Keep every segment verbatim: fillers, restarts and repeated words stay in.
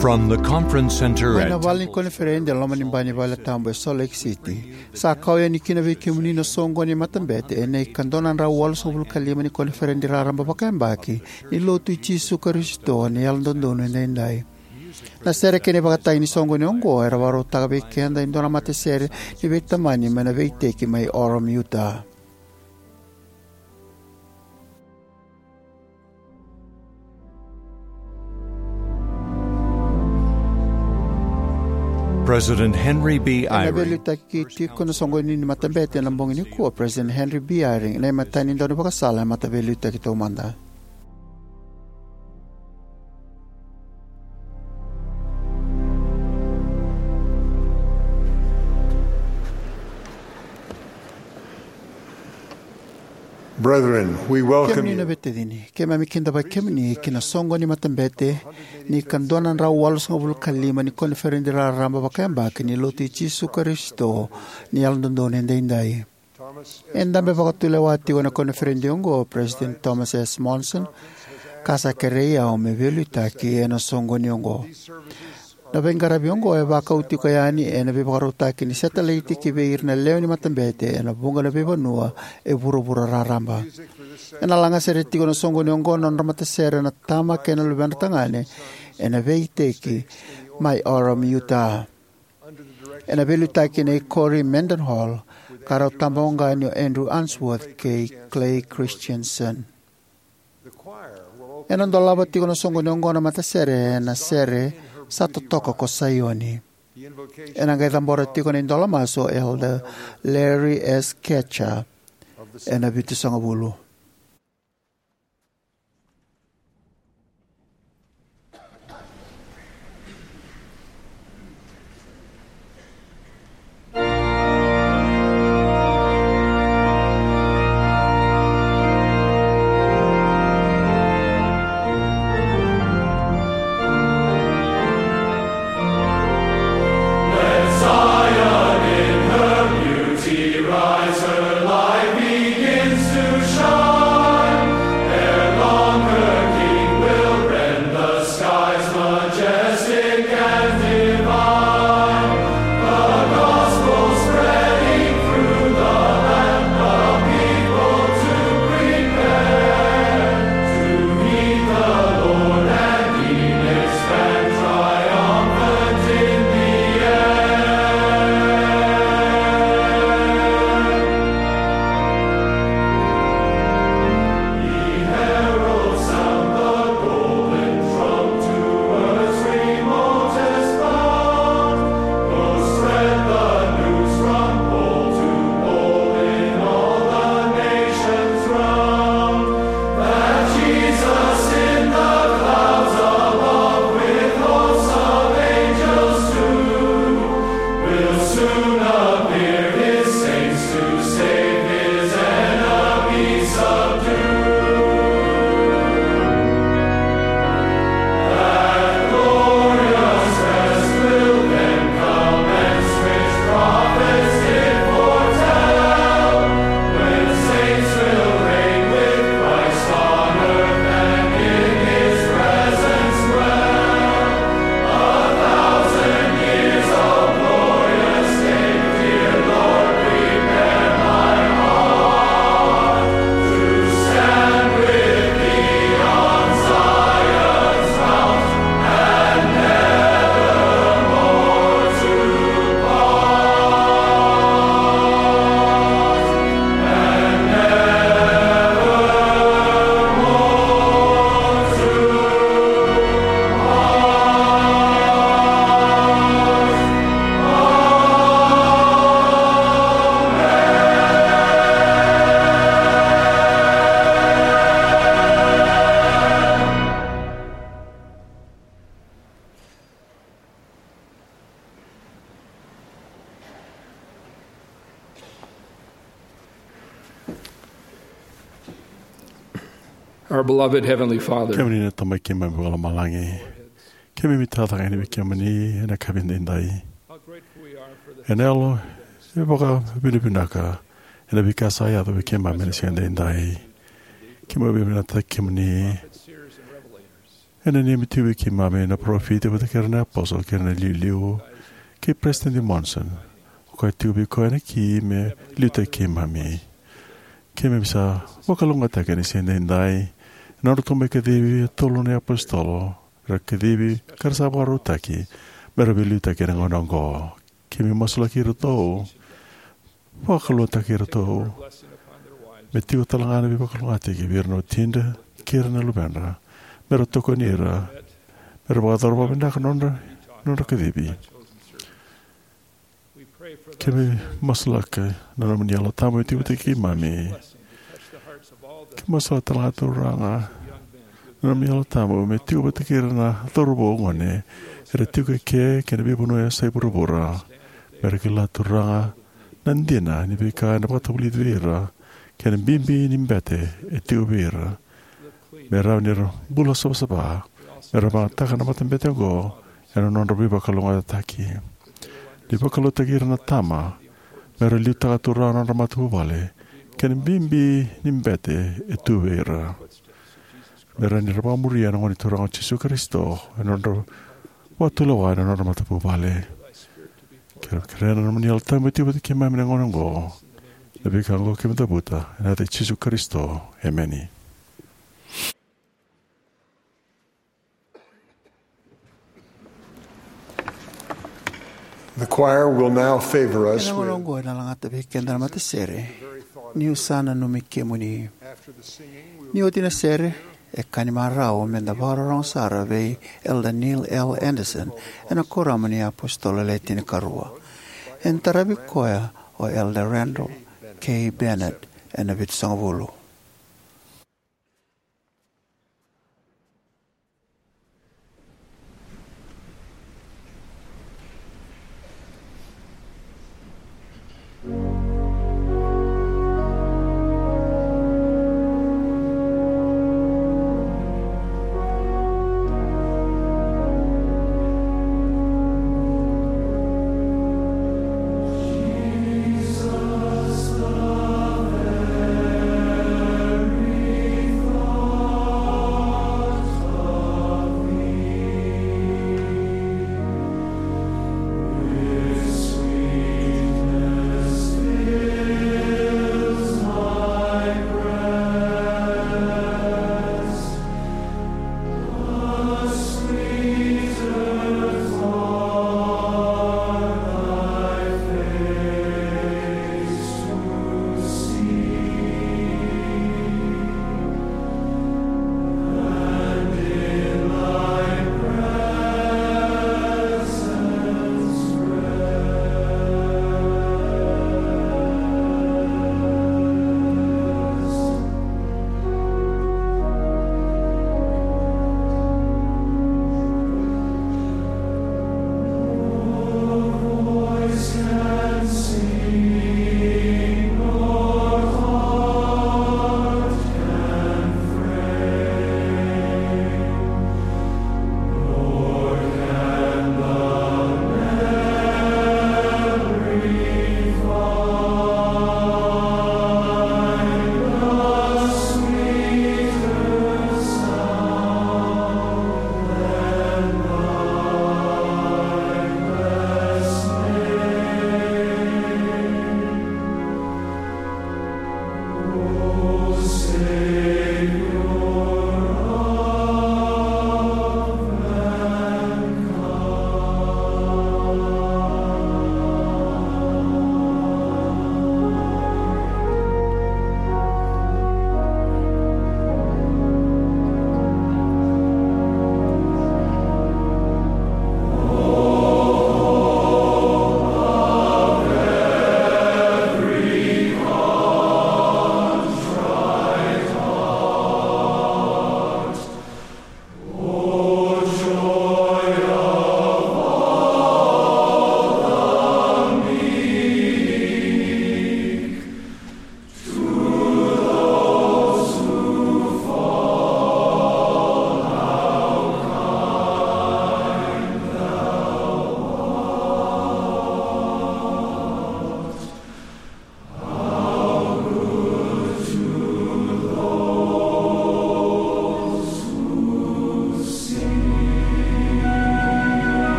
From the conference center mai na vale ni koniferedi e loma ni bai ni vale tabu e Salt Lake City, sa kau yani kina vei kemuni na soqoni ni matabete ena ika dua na drau walusagavulu ka lima ni koniferedi raraba vakayabaki ni Lotu i Jisu Karisito ni Yalododonu Edaidai. Na sere kei na ivakatagi ni soqoni oqo era vakarautaka vei keda e dua na matasere ni veitamani mai na veiiteki mai Orem, Utah. President Henry B. Eyring. Ena veiliutaki tiko na soqoni ni matabete ena bogi nikua o President Henry B. Eyring, na imatai ni daunivakasala ena Mataveiliutaki Taumada. Brethren, we welcome you. Kemuni na veitacini, keimami kidavaki kemuni ki na soqoni ni matabete ni ika dua na drau walusagavulu ka lima ni koniferedi raraba vakayabaki ni Lotu i Jisu Karisito ni Yalododonu Edaidai. E dabe vakatulewa tiko ena koniferedi oqo o President Thomas S. Monson, ka sa kerei au me veiliutaki ena soqoni oqo. Na veiqaravi oqo e vakau tiko yani ena veivakarautaki ni setalaiti ki vei ira na lewe ni matabete ena vuqa na veivanua e vuravura raraba. Ena lagasere tiko na soqoni oqo na nodra matasere na tama kei na luvedra tagane ena veiiteki mai Orem, Utah, ena veiliutaki nei Cory Mendenhall, ka rau tabawaqani o Andrew Unsworth kei Clay Christensen. Ena dolava tiko na soqoni oqo na matasere ena sere Sa Totoka ko Saioni. Ena qai cabora tiko na idola masu o Elder Larry S. Katcher ena vitusagavulu. Our beloved Heavenly Father, kemuni na Tamai keimami vakalomalagi, keimami tacake yani vei kemuni ena yakavi edaidai. Ena yalo e vakavinavinaka ena veika sa yaco vei keimami ena siga edaidai. Keimami vakavinavinakataki kemuni E nanumi tiko vei keimami na parofita vata kei ira na iapositolo kei ira na iliuliu kei Peresitedi Monson. O koya tiko vei koya na ki me liutaki keimami. Keimami sa vakalougatataki ena siga edaidai ena nodratou mai kacivi e tolu na iapositolo, era kacivi ka ra sa vakarautaki me ra veiliutaki ena gauna oqo. Keimami masulaki iratou, vakalougatataki iratou, me tiko tale ga na veivakalougatataki vei ira na watidra kei ira na luvedra, me ra tokoni ira me ra vakayacora vakavinaka na nodra, nodra kacivi. Keimami masulaka na nomuni Yalo Tabu me tiko vata kei keimami. Keimami masulaka tale ga, Turaga, na nomuni Yalo Tabu me tiko vata kei ira na cauravou, gone era tiko eke kei na veivanua e yasai vuravura, me ra kila, Turaga, na dina ni veika ena vakatavulici vei ira kei na bibi ni bete e tiko vei ira, me rawa ni ra bula savasava, me ra vakayagataka na matabete oqo ena nodra veivakalougatataki. Ni vakalougatataki ira na tama me ra liutaka, Turaga, na nodra matavuvale kei na bibi ni bete e tu vei ira, me rawa ni ra vakamuria na Gone Turaga o Jisu Karisito ena nodra vakatulewa ena nodra matavuvale. Keimami kerea na nomuni Yalo Tabu me tiko vata kei keimami ena gauna oqo. Na veika oqo keimami cavuta ena yaca i Jisu Karisito. Emeni. The choir will now favor us. Ena gauna oqo ena lagata vei keda na matasere. Niu sa nanumi kemuni. Ni oti na sere, e ka ni marau meda vakarorogo sara vei Elder Neil L. Andersen ena Kuoramu ni iApositolo Le Tinikarua. Ena taravi koya o Elder Randall K. Bennett ena Vitusagavulu.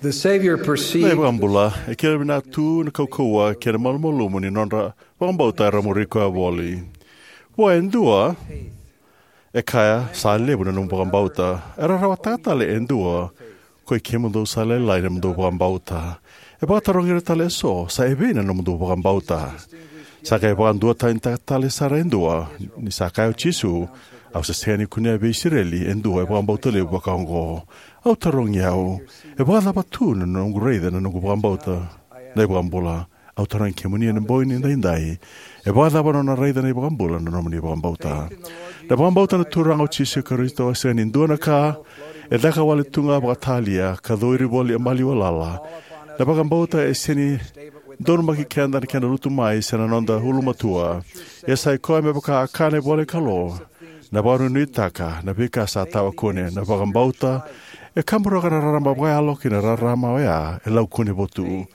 The Savior Na perceived iVakabula e kila vinaka tu na kaukauwa kei na malumalumu ni nodra vakabauta era muri koya voli. Vua e dua e kaya, "Sa levu na nomu vakabauta." Era rawataka tale e dua, "Koi kemudou sa lailai na nomudou vakabauta." E vakatarogi ira tale eso, "Sa evei na nomudou vakabauta?" Sa qai vakaduatanitaka tale sara e dua, ni sa kaya o Jisu, "Au sa sega ni kunea vei Isireli e dua e vakabauta levu vakaoqo." Au tarogi au, e vakacava tu na noqu raica na noqu vakabauta na iVakabula? Au tarogi kemuni ena bogi ni daidai, e vakacava na nona raica na iVakabula na nomuni vakabauta? Na vakabauta na Turaga o Jisu Karisito e sega ni dua na ka e caka wale tu ga vakatalia ka coiri voli e maliwa lala. Na vakabauta e sega ni donumaki keda na kena lutu mai se na noda ulumatua. Ia sa i koya me vaka a kaya na ivola ni Kalou, na vakanuinuitaka na veika sa tawa kune. Na vakabauta e kaburaka na rarama vakayalo kei na rarama oya e lau kune votu.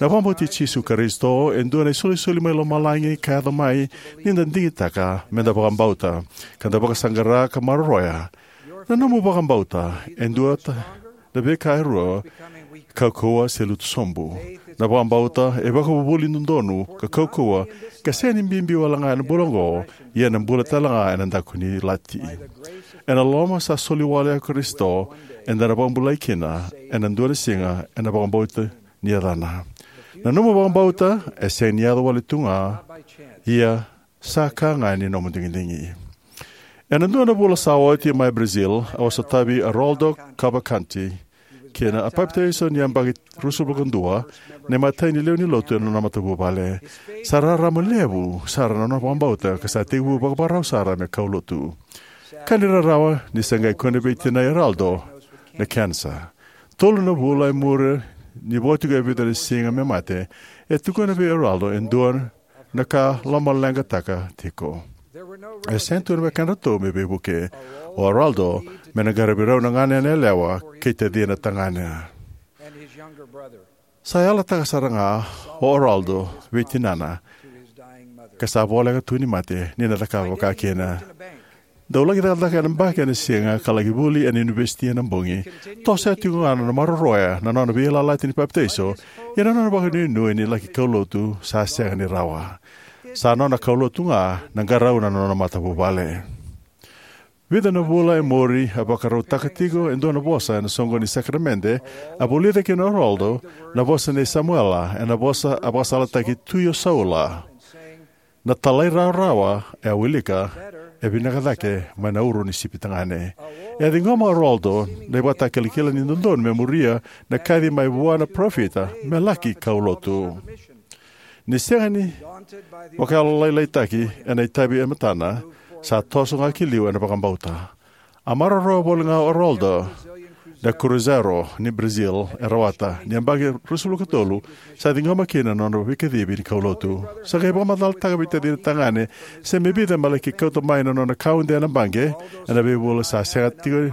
Na vakabauti Jisu Karisito e dua na isolisoli mai lomalagi ka yaco mai ni da digitaka me da vakabauta, ka da vakasaqara ka maroroya. Na nomu vakabauta e dua ta na veika e rua: kaukauwa se lutu sobu. Na vakabauta e vakavuvuli dodonu ka kaukauwa, ka sega ni bibi wale ga ena bula oqo, ia ena bula tale ga ena daku ni lati. Ena loma sa soli wale o Karisito, eda na vakabulai kina ena dua na siga ena vakabauta ni yacana. Na nomu vakabauta e sega ni yaco wale tu ga, ia sa ka ga ni nomu digidigi. Ena dua na vula sa oti mai Brazil, au a sotavi Aroldo Cavalcante, kei na a papitaiso ni yabaki ruasagavulu ka dua, na imatai ni lewe ni lotu ena nona matavuvale. Sa rarama levu sara na nona vakabauta ka sa tekivu vakavakarau sara me kaulotu. Ka ni rarawa ni sa qai kune vei tinai Aroldo na kenisa. Tolu na vula e muri, ni vo tiko e vica na siga me mate, e tukuna vei Aroldo e dua na ka lomaleqataka tiko. E sega tu na wekadratou me veivuke. O Aroldo me na qaravi rau na ganena yalewa kei tacina tagane. Sa yalataka sara ga o Aroldo vei tinana, ka sa voleka tu ni mate ni na cakava vaka kina. Dau laki cakacaka ena yabaki ena siga ka laki vuli ena univesiti ena bogi. Toso tiko ga na nona maroroya na nona veiyalayalati ni papitaiso, ia na nona vakanuinui ni laki kaulotu sa sega ni rawa. Sa nona kaulotu ga na qarauna na nona matavuvale. Vica na vula e muri, a vakarautaka tiko e dua na vosa ena soqo ni sakaramede, a vulica kina o Aroldo na vosa nei Samuela, ena vosa a vakasalataki Tui o Saula. Na talairawarawa e a wilika e vinaka cake mai na uro ni sipi tagane. E a ciqoma o Aroldo na ivakatakilakila ni dodonu me muria na kaci mai vua na parofita me laki kaulotu. Ni sega ni vakayalolailaitaki ena itavi e matana, sa toso ga ki liu ena vakabauta. A maroroya voli ga o Aroldo na Cruzeiro ni Brazil e rawata. Ni yabaki ruasagavulu ka tolu, sa ciqoma kina na nona veikacivi ni kaulotu. Sa qai vakamacalataka vei tacina tagane se me vica me laki kauta mai na nona kaude ena baqe ena veivula. Sa sega tiko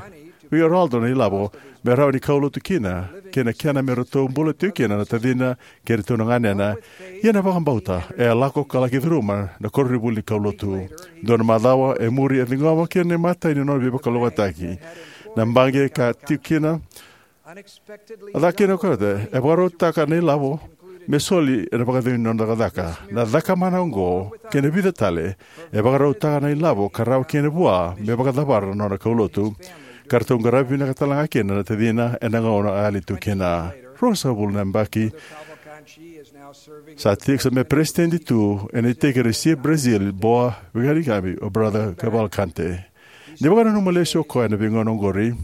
vei Aroldo na ilavo me rawa ni kaulotu kina, kei na kena me ratou bula tiko kina na tacina kei iratou na ganena. Ia na vakabauta e a lako ka laki curuma na koronivuli ni kaulotu. Dua na macawa e muri, e ciqoma kina na imatai ni nona veivakalougatataki. Na baqe ka tiko kina, a caka kina o koya, e vakarautaka na ilavo me soli ena vakacegu ni nona cakacaka. Na cakamana oqo kei na vica tale e vakarautaka na ilavo ka rawa kina vua me vakacavara na nona kaulotu, ka ratou qaravi vinaka tale ga kina na tacina ena gauna a yali tu kina. Ruasagavulu na yabaki sa tiko, sa me peresitedi tu ena iteki Recife Brazil, Boa Viagem, o Brother Cavalcante. Ni vakananuma lesu o koya ena veigauna oqori,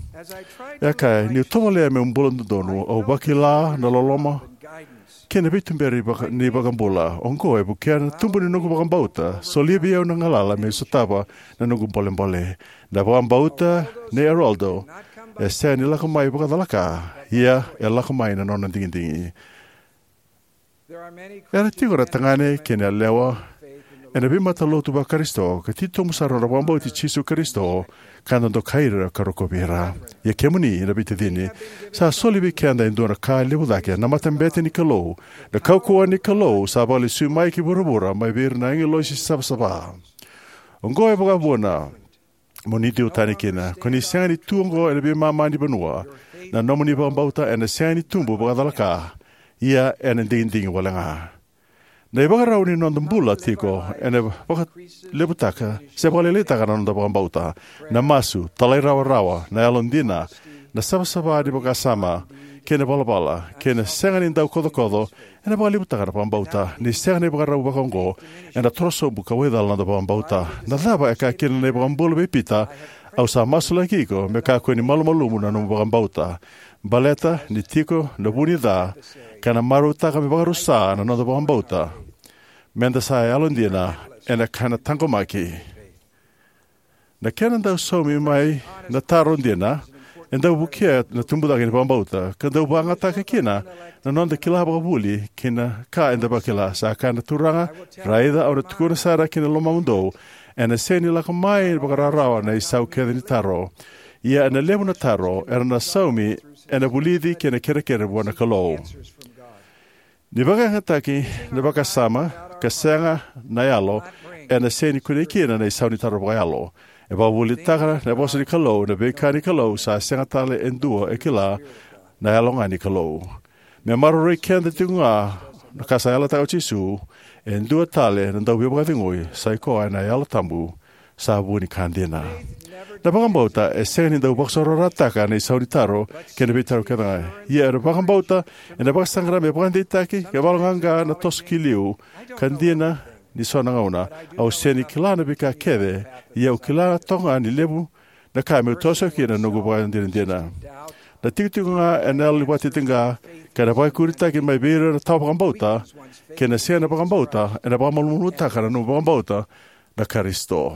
e a kaya, niu tovolea meu bula dodonu, au vakila na loloma kei na veituberi vaka-, ni vakabula. Oqo e vukea na tubu ni noqu vakabauta, solia vei au na galala meu sotava na noqu bolebole. Na vakabauta nei Aroldo e sega ni lako mai vakacalaka, ia e lako mai na nona digidigi. Era tiko na tagane kei na yalewa ena veimatalotu vaKarisito ka titobu sara na nodra vakabauti Jisu Karisito, ka da dokai ira ka rokovi ira. Ia kemuni na veitacini, sa soli vei keda e dua na ka levu cake, na matabete ni Kalou, na kaukauwa ni Kalou sa vakalesui mai ki vuravura mai vei ira na agilosi savasava. Oqo e vakavuna mo ni duatani kina. Ko ni sega ni tu oqo ena veimama ni vanua, Na nomuni vakabauta ena sega ni tubu vakacalaka, ia ena digidigi wale ga. Na ivakarau ni noda bula tiko ena vakalevutaka se vakalailaitaka na noda vakabauta. Na masu, talairawarawa, na yalodina, na savasava ni vakasama, kei na valavala, kei na sega ni dau kocokoco, ena vakalevutaka na vakabauta. Ni sega na ivakarau vakaoqo, ena torosobu ka waicala na noda vakabauta. Na cava e kaya kina na iVakabula vei Pita? Au sa masulaki iko me kakua ni malumalumu na nomu vakabauta. Baleta ni tiko na vu ni ca, ka na marautaka me vakarusa na noda vakabauta. Meda sa yalodina ena ka ena taqomaki. Na kena dau saumi mai na taro dina, e dau vukea na tubucake ni vakabauta, ka dau vakayagataka kina na noda kila vakavuli kei na ka eda vakila. Sa kaya na Turaga, raica, au na tukuna sara ki na lomamudou, ena sega ni lako mai vakararawa na isau kece ni taro. Ia ena levu na taro era na saumi, ena vulici kei na kerekere vua na Kalou. Ni vakayagataki na vakasama ka sega na yalo, ena sega ni kunei kina na isau ni taro vakayalo. E vakavuvulitaka na vosa ni Kalou, na veika ni Kalou sa sega tale e dua e kila, na yalo ga ni Kalou. Me maroroi keda tiko ga na ka sa yalataka o Jisu, e dua tale na dau veivakacegui, sa i koya na Yalo Tabu, sa vu ni ka dina. Na vakabauta e sega ni dau vakasororataka na isau ni taro kei na veitaro kece ga. Ia na vakabauta ena vakasaqara me vakadeitaki, ka valoqaqa na toso ki liu, ka dina ni so na gauna. Au sega ni kila na veika kece, ia au kila toka ga ni levu na ka meu toso kina na noqu vakadinadina. Na tikotiko ga ena yalo ni vakatitiqa, ka na vakaikuritaki mai vei ira na tawa vakabauta, kei na sega na vakabauta, ena vakamalumalumutaka na nomu vakabauta na Karisito.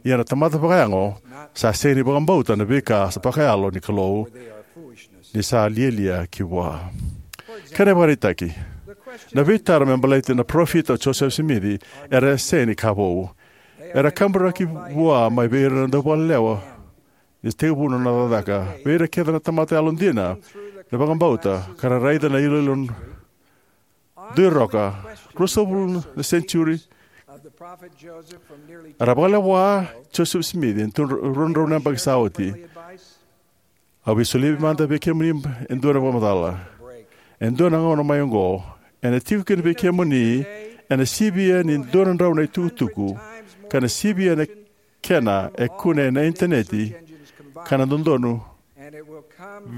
Ia na tamata vakayago, sa sega ni vakabauta na veika sa vakayalo ni Kalou, ni sa lialia ki vua. Kena ivakaraitaki, na veitaro me baleti na parofita o Josefa Simici era sega ni ka vou. Era kaburaki vua mai vei ira na dauvalelewa, ni tekivu na nona cakacaka. Vei ira kece na tamata yalodina, na vakabauta, ka ra raica na iloilo dui roka, ruasagavulu na senitiuri, era vakalewa Josefa Simici ena rua na drau na yabaki sa oti. Au via solia mada vei kemuni e dua na vakamacala. E dua na gauna mai oqo, ena tiko kina vei kemuni, ena sivia ni dua na drau na itukutuku, ka na sivia na kena e kune ena initaneti, ka na dodonu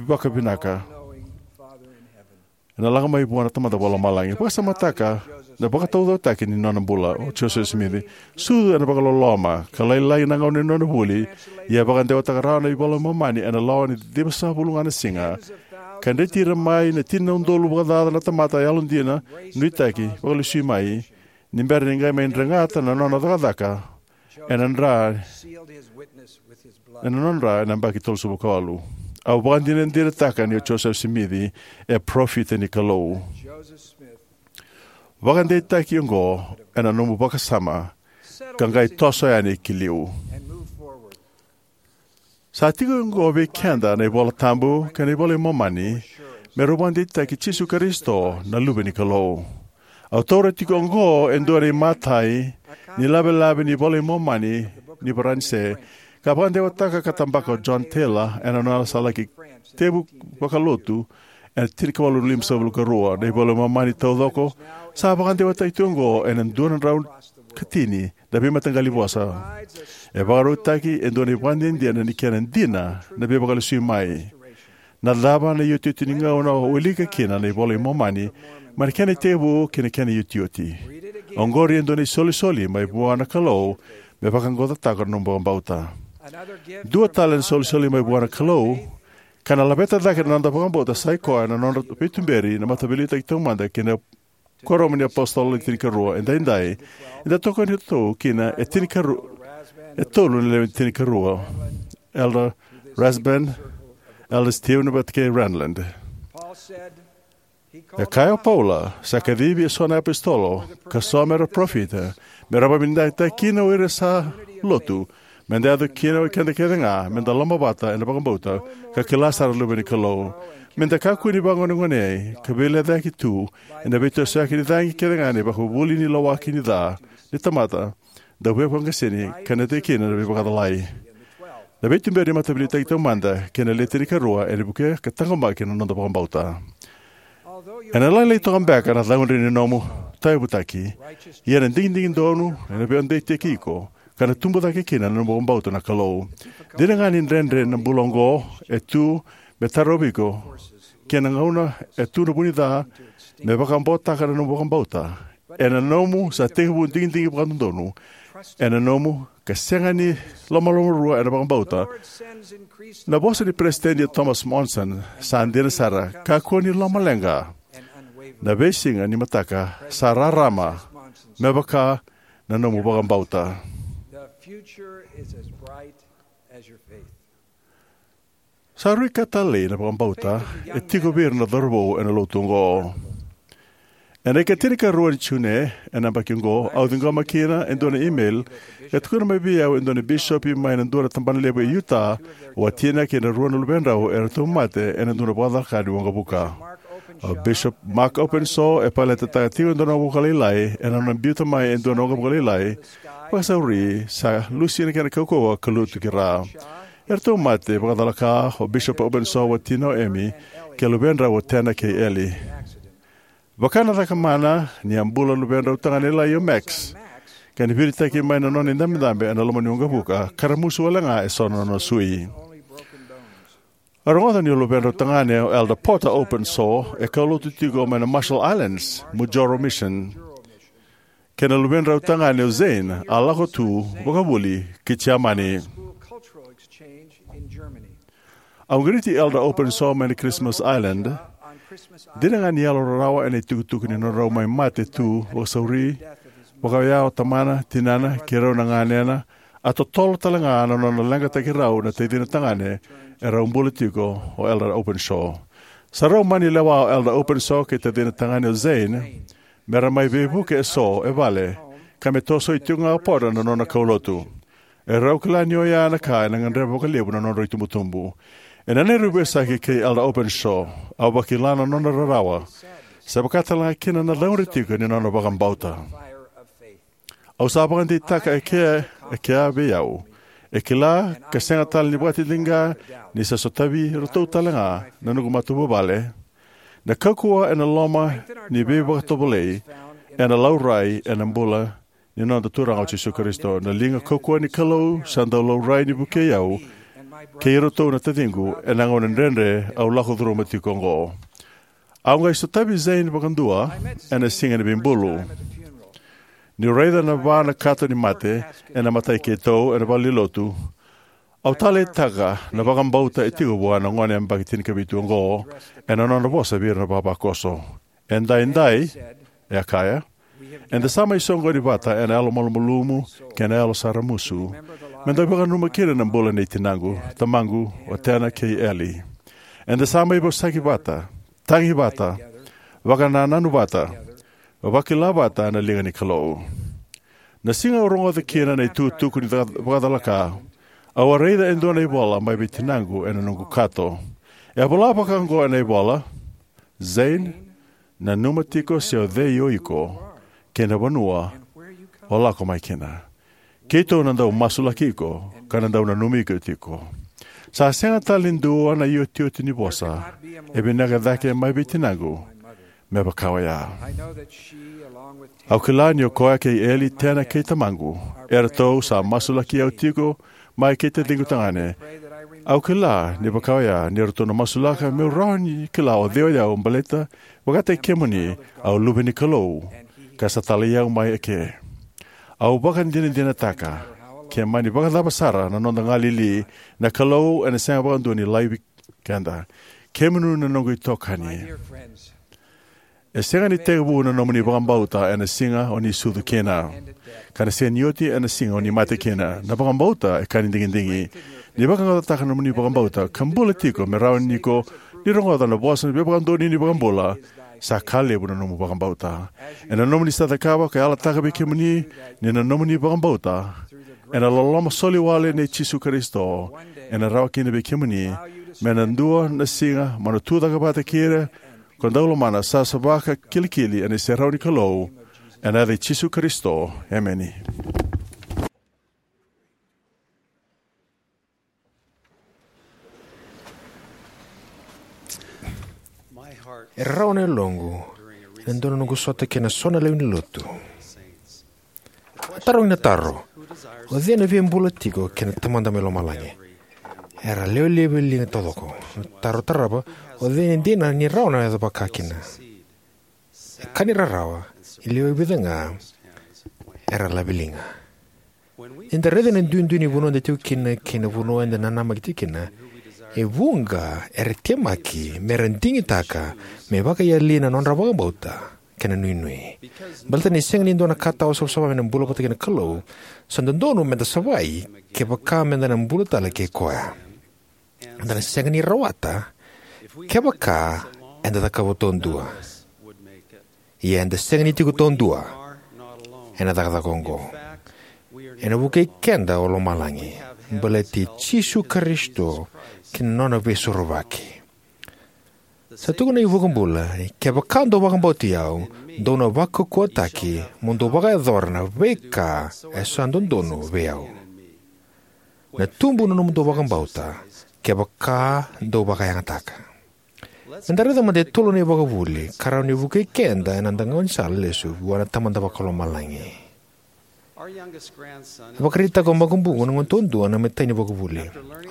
vakavinaka. Ena lako mai vua na Tamada Vakalomalagi. Vakasamataka na vakataucokotaki ni nona bula o Josefa Simici. Sucu ena vakaloloma, ka lailai na gauna ni nona vuli, ia vakadewataka rawa na iVola i Momani ena lawa ni ciwasagavulu ga na siga. Ka dreti ira mai na tini na udolu vakacaca na tamata yalodina, nuitaki, vakalesui mai, ni bera ni qai mai dregata na nona cakacaka ena dra, ena nona dra ena yabaki tolusagavulu ka walu. Au vakadinadinataka ni o Josefa Simici e parofita ni Kalou. Vakadeitaki oqo ena nomu vakasama, ka qai toso yani ki liu. Sa tiko oqo vei keda na iVola Tabu kei na iVola i Momani, me rau vakadeitaki Jisu Karisito na Luve ni Kalou. Au taura tiko oqo e dua na imatai ni lavelave ni iVola i Momani ni Varanise, ka vakadewataka ka tabaka o John Taylor ena nona sa laki tevu vakalotu ena tinikawalu limasagavulu ka rua. Na iVola i Momani taucoko sa vakadewataki tiko oqo ena dua na drau ka tini na veimataqali vosa. E vakarautaki e dua na ivakadinadina ni kena dina na veivakalesui mai. Na cava na iotioti ni gauna o wilika kina na iVola i Momani, mai na kena itekivu ki na kena iotioti? Oqori e dua na isolisoli mai vua na Kalou me vaqaqacotaka na nomu vakabauta. Dua tale na isolisoli mai vua na Kalou, ka na laveta cake na noda vakabauta, sa i koya na nodra veituberi na Mataveiliutaki Taumada kei na Kuoramu ni iApositolo Le Tinikarua. Edaidai eda tokoni tu kina e tinikarua, e tolu na lewe ni tinikarua: Elder Rasband, Elder Steven, vata kei Renlund. E kaya o Paula, sa kacivi eso na iapositolo, ka so mera parofita, mera vakavinavinakataki kina o ira sa lotu, meda yaco kina o keda kece ga, meda lomavata ena vakabauta, ka kila sara na Luve ni Kalou. Meda kakua ni vagonegonei ka veilecayaki tu ena veitosoyaki ni cagi kece ga ni vakavuli ni lawaki ni ca ni tamata, dau veivakaseni, ka na tei kina na veivakacalai. Na veituberi ni Mataveiliutaki Taumada kei na Le Tinikarua ena vukea ka taqomaki na noda vakabauta. Ena lailai toka beka na caudre ni nomu tauyavutaki, ia na digidigi donu ena veideitaki iko ka na tubu cake kina na nomu vakabauta na Kalou. Dina ga ni dredre na bula oqo e tu me tarovi iko, kei na gauna e tu na vunica me vakabotaka na nomu vakabauta, ena nomu sa tekivu digidigi vakadodonu ena nomu ka sega ni lomalomarua ena vakabauta. Na vosa ni Peresitedi Thomas Monson sa dina sara: "Kakua ni lomaleqa. Na veisiga ni mataka sa rarama me vaka na nomu vakabauta." Sa rui ka talei na vakabauta e tiko vei ira na cauravou ena lotu oqo. Ena ika tinikarua ni June ena yabaki oqo, au ciqoma kina e dua na email ka tukuna mai vei au e dua na bisopi mai na dua na tabana levu e Utah, watina kei na rua na luvedrau eratou mate ena dua na vakacalaka ni waqavuka. O Bishop Mark Openshaw e paletetaka tiko e dua na waqavuka lailai ena nona biuta mai e dua na waqavuka lailai. Vakasauri sa lusi na kena kaukauwa ka lutu ki ra. Eratou mate vakacalaka o Bishop Openshaw, watina o Amy, kei na luvedrau o Tanner kei Ellie. Vaka na cakamana, ni a bula na luvedrau tagane lailai o Max, ka ni viritaki mai na nona idabedabe ena loma ni waqavuka ka ramusu wale ga eso na nona sui. A rogoca ni o luvedrau tagane o Elder Porter Openshaw e kaulotu tiko mai na Marshall Islands, Mujoro Mission, kei na luvedrau tagane o Zane a lako tu vakavuli ki Jamani. Au qiriti Elder Openshaw mai na Christmas Island. Dina ga ni yalo rarawa ena itukutuku ni nodrau mai mate tu vakasauri, vakaoya o tamana, tinana, kei rau na ganena, a totolo tale ga na nona leqataki rau na tacina tagane e rau bula tiko o Elder Openshaw. Sa rau mani lewa o Elder Openshaw kei tacina tagane o Zane me ra mai veivuke eso e vale, ka me tosoi tiko ga o Porter na nona kaulotu. E rau kila ni oya na ka ena gadreva vakalevu na nodrau itubutubu. Ena neirau veisaki kei Elder Openshaw, au vakila na nona rarawa, sa vaka tale ga kina na caudre tiko ni nona vakabauta. Au sa vakadeitaka e kea, e kea vei au. E kila ka sega tale ni vakatitiqa ni sa sotavi iratou tale ga na noqu matavuvale. Na kaukauwa ena loma ni veivakatovolei ena laurai ena bula ni noda Turaga o Jisu Karisito. Na liga kaukauwa ni Kalou sa dau laurai ni vukei au kei iratou na taciqu ena gauna dredre au lako curuma tiko oqo. Au qai sotavi Zane vakadua ena siga ni veibulu. Niu raica na va na kato ni mate ena matai keitou ena valenilotu, au taleitaka na vakabauta e tiko vua na gone yabaki tinikavitu oqo ena nona vosa vei ira na vavakoso. "Edaidai," e a kaya, "eda sa mai soqoni vata ena yalo malumalumu kei na yalo sa ramusu, me da vakananuma kina na bula nei tinaqu, tamaqu, o Tanner kei Ellie. Eda sa mai vosaki vata, tagi vata, vakanananu vata, vakila vata na liga ni Kalou." Na siga au rogoca kina na itukutuku ni ca-, vakacalaka, au a raica e dua na ivola mai vei tinaqu ena noqu kato. E a vola vaka oqo ena ivola: "Zane, nanuma tiko se o cei o iko kei na vanua o lako mai kina. Keitou na dau masulaki iko ka na dau nanumi iko tiko." Sa sega tale ni dua na iotioti ni vosa e vinaka cake mai vei tinaqu me vaka oya. Au kila ni o koya kei Ellie, Tanner kei tamaqu, eratou sa masulaki au tiko mai kei taciqu tagane. Au kila ni vaka oya ni ratou na masulaka meu rawa ni kila o cei o yau, baleta vakataki kemuni, au luve ni Kalou, ka sa talai au mai eke. Au vakadinadinataka, ke mani vakacava sara na noda galili, na Kalou ena sega vakadua ni laivi keda. Kemuni na noqu itokani. E sega ni tekivu na nomuni vakabauta ena siga o ni sucu kina, ka na sega ni oti ena siga o ni mate kina. Na vakabauta e ka ni digidigi. Ni vakayagataka na nomuni vakabauta ka bula tiko me rawa ni ko ni rogoca na vosa ni veivakadonui ni iVakabula, sa ka levu na nomu vakabauta. Ena nomuni sa cakava ka yalataka vei kemuni ni na nomuni vakabauta ena loloma soli wale nei Jisu Karisito, ena rawa kina vei kemuni me na dua na siga mo na tucake vata kei ira ko dau lomana, sa savasava ka kilikili ena iserau ni Kalou. Ena yaca i Jisu Karisito, emeni. E rarawa na yaloqu ena dua na noqu sota kei na so na lewe ni lotu. A tarogi na taro: "O cei na via bula tiko kei na Tamada mai lomalagi?" Era lewe levu e liga taucoko. Na taro tarava: "O cei e dina ni rawa na yaco vakakina?" E ka ni rarawa, e lewe vica ga era laveliga. Eda raica na duidui ni vanua eda tiko kina kei na vanua eda nanamaki tiko kina, e vuqa era temaki mera digitaka me vakayali na nodra vakabauta kei na nuinui. Baleta ni sega ni dua na ka tawa savasava me na bula vata kei na Kalou, sa dodonu meda savai kevaka meda na bula tale kei koya. Eda na sega ni rawata kevaka eda cakava taudua. Ia eda sega ni tiko taudua ena cakacaka oqo. Ena vukei keda o lomalagi, baleti Jisu Karisito kei na nona veisorovaki. Sa tukuna na iVakabula ni, "Kevaka dou vakabauti au, dou na vakaukauwataki mo dou vakayacora na veika e sa dodonu vei au." Na tubu na nomudou vakabauta kevaka dou vakayagataka. Meda raica mada e tolu na ivakavuvuli ka rawa ni vukei keda ena noda gaunisala lesu vua na Tamada Vakalomalagi. E vakaraitaka o Makubuqu, na gone taudua, na imatai ni ivakavuvuli.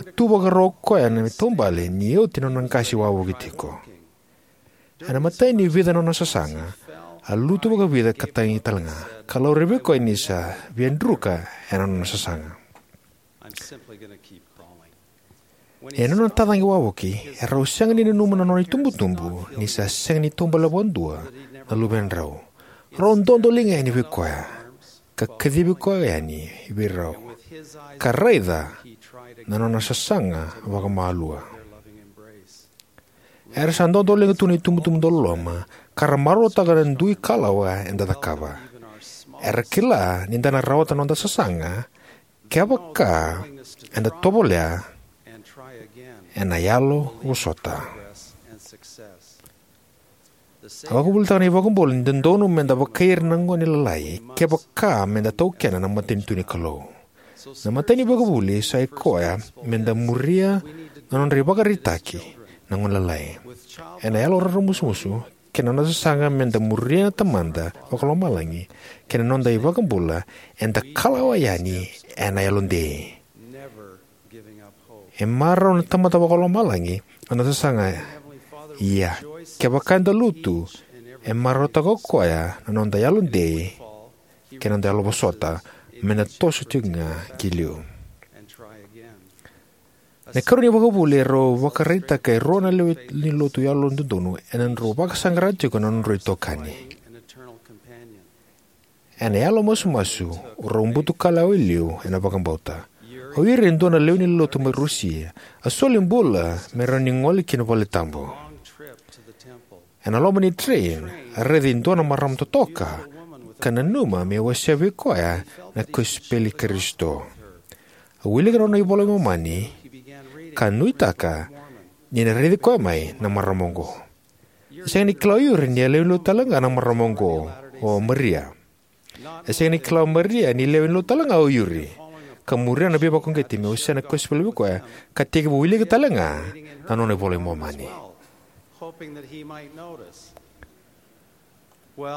A tu vakarau o koya ena taubale ni oti na nona qase wavoki tiko. Ena imatai ni vica na nona sasaga, a lutu vakavica ka tagi talega, ka laurai vei koya ni sa via druka ena nona sasaga. Ena nona tacaqe wavoki, e rau sega ni nanuma na nona itubutubu ni sa sega ni taubale vakadua na luvedrau. Rau dodoliga yani vei koya, ka kacivi koya yani vei rau, ka raica na nona sasaga vakamalua. Era sa dodoliga tu na itubutubu dauloloma, ka ra marautaka na dui kalawa eda cakava. Era kila ni da na rawata na noda sasaga kevaka eda tovolea ena yalo vosota. A vakavuvulitaka na iVakabula ni dodonu meda vakaira na gone lalai kevaka meda taukena na matanitu ni Kalou. Na imatai ni ivakavuvuli sa ikoya meda muria na nodra ivakaraitaki na gone lalai. Ena yalo raramusumusu kei na noda sasaga meda muria na Tamada Vakalomalagi kei na noda iVakabula, eda kalawa yani ena yalodei. E marau na Tamada Vakalomalagi na noda sasaga. Ia, kevaka eda lutu, e marautaka o koya na noda yalodei kei na noda yalo vosota, meda toso tiko ga ki liu. Na ikarua ni ivakavuvuli e rau vakaraitaka e rua na lewe ni lotu yalododonu ena nodrau vakasaqara tiko na nodrau itokani. Ena yalo masumasu, rau butu kalawa e liu ena vakabauta. O ira e dua na lewe ni lotu mai Rusia a soli bula me rawa ni gole ki na valetabu. Ena loma ni train, a raica e dua na marama totoka ka nanuma me wasea vei koya na kosipeli i Karisito. A wilika na nona iVola i Momani ka nuitaka ni na raici koya mai na marama oqo. E sega ni kila o Yuri ni a lewe ni lotu tale ga na marama oqo, o Maria. E sega ni kila o Maria ni lewe ni lotu tale ga o Yuri, ka muria na veivakauqeti me wasea na kosipeli vei koya, ka tekivu wilika tale ga na nona iVola i Momani.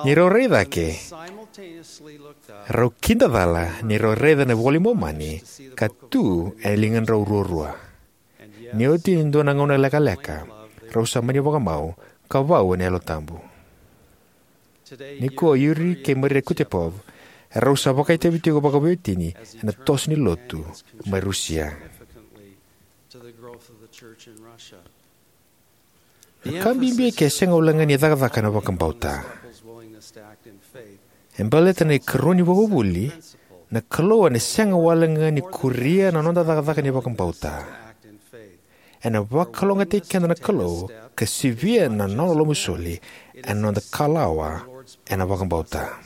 Ni rau rai cake, rau kidacala ni rau raica na iVola i Momani ka tu ena ligadrau ruarua. Ni oti e dua na gauna lekaleka, rau sa mani vakamau ka vau ena Yalo Tabu. Nikua o Yuri kei Maria Kutepov, rau sa vakaitavi tiko vakaveiwatini ena toso ni lotu mai Rusia. Na ka bibi e ke sega walega ni cakacaka ena vakabauta. E baleta na ikarua ni ivakavuvuli, na Kalou ena sega walega ni kuria na noda cakacaka ni vakabauta. Ena vakalougatataki keda na Kalou ka sivia na nona lomasoli ena noda kalawa ena vakabauta.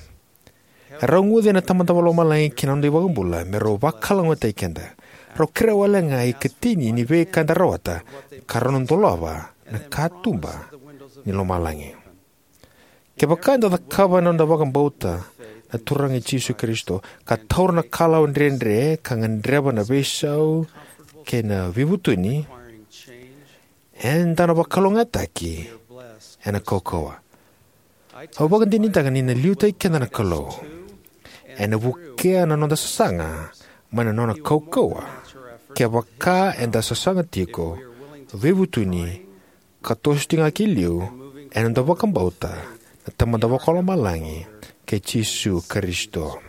E rau guce na Tamada Vakalomalagi kei na noda iVakabula me rau vakalougatataki keda. Rau kerea walega na ikatini ni veika eda rawata, ka rau na dolava na katuba ni lomalagi. Kevaka eda cakava ena noda vakabauta na Turaga i Jisu Karisito, ka taura na kalawa dredre ka gadreva na veisau kei na veivutuni, eda na vakalougatataki ena kaukauwa. Au vakadinadinataka ni na liutaki keda na Kalou. Ena vukea na noda sasaga mai na nona kaukauwa kevaka eda sasaga tiko, veivutuni, ka toso tiko ga ki liu ena noda vakabauta na Tamada Vakalomalagi kei Jisu Karisito.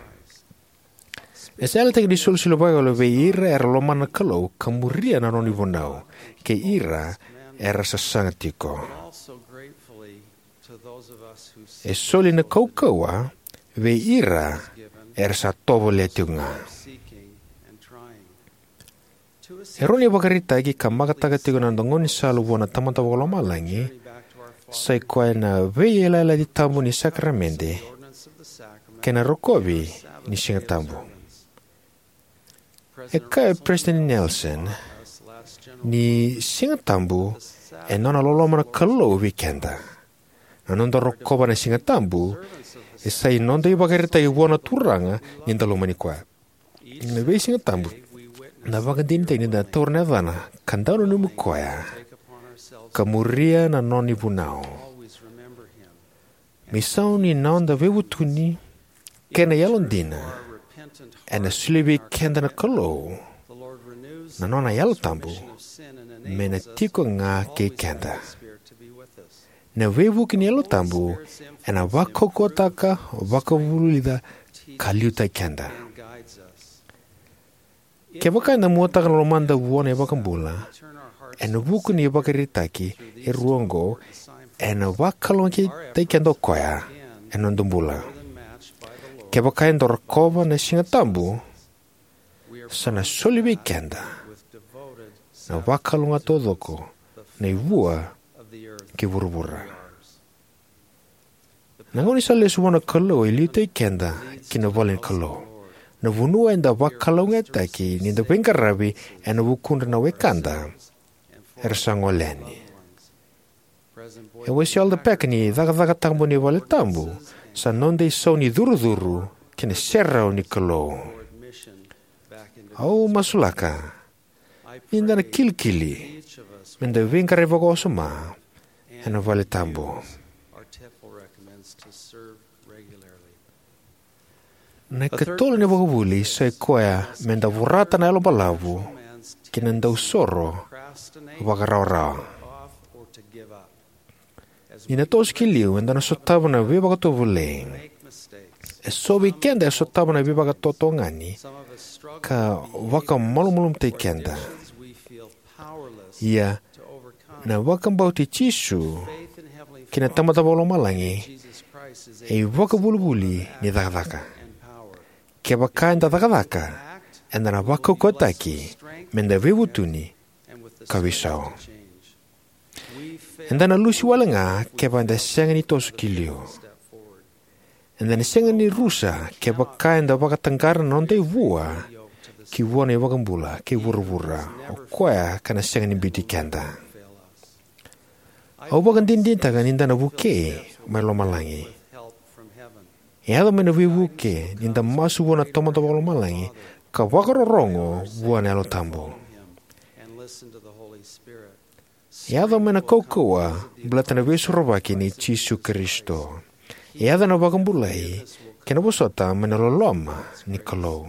E sa yalataki ni isolisoli vakayalo vei ira era lomana na Kalou ka muria na nona ivunau, kei ira era sasaga tiko. E soli na kaukauwa vei ira era sa tovolea tiko ga. E rua na ivakaraitaki ka makataka tiko na noda gaunisala vua na Tamada Vakalomalagi, sai koya na veiyalayalati tabu ni sakaramede kei na rokovi ni Siga Tabu. E kaya o Peresitedi Nelson ni Siga Tabu e nona loloma na Kalou vei keda. Na noda rokova na Siga Tabu e sai noda ivakaraitaki vua na Turaga ni da lomani koya. Na veisiga tabu, na vakadinadinataki ni da taura na yacana ka dau nanumi koya ka muria na nona ivunau. Me isau ni noda veivutuni kei na yalodina, ena solia vei keda na Kalou na nona Yalo Tabu me na tiko ga kei keda. Na veivuke ni Yalo Tabu ena vakaukauwataka, vakavulica, ka liutaki keda. Kevaka eda muataka na lomada vua na iVakabula ena vuku ni ivakaraitaki e rua oqo, ena vakalougatataki keda o koya ena noda bula. Kevaka eda rokova na Siga Tabu, sa na soli vei keda na vakalougatataki taucoko nei vua kei vuravura. Na gaunisala lesu vua na Kalou e liutaki keda ki na vale ni Kalou, na vanua eda vakalougatataki ni da veiqaravi ena vukudra na wekada era sa gole yani. E wasea o Elder Packer ni cakacaka tabu ni vale tabu sa noda isau ni curucuru kei na serau ni Kalou. Au masulaka ni da na kilikili me da veiqaravi vakawasoma ena vale tabu. Na ikatolu ni vakavuli sai koya me da vorata na yalo balavu kei na dausoro vakarawarawa. Ni da toso ki liu, eda na sotava na veivakatovolei. E so vei keda e sotava na veivakatotogani ka vakamalumalumutaki keda. Ia, na vakabauti Jisu kei na Tamada Vakalomalagi e ivakavulivuli ni cakacaka. Kevaka eda cakacaka, eda na vakaukauwataki me da veivutuni ka veisau. Eda na lusi wale ga kevaka eda sega ni toso ki liu. Eda na sega ni rusa kevaka eda vakataqara na noda ivua ki vua na iVakabula kei vuravura, o koya ka na sega ni biuti keda. Au vakadinadinataka ni da na vukei mai lomalagi. E yaco mai na veivuke ni da masu vua na Tamada Vakalomalagi ka vakarorogo vua na Yalo Tabu. E yaco mai na kaukauwa baleta na Veisorovaki nei Jisu Karisito. E yaco na vakabulai kei na vosota mai na loloma ni Kalou.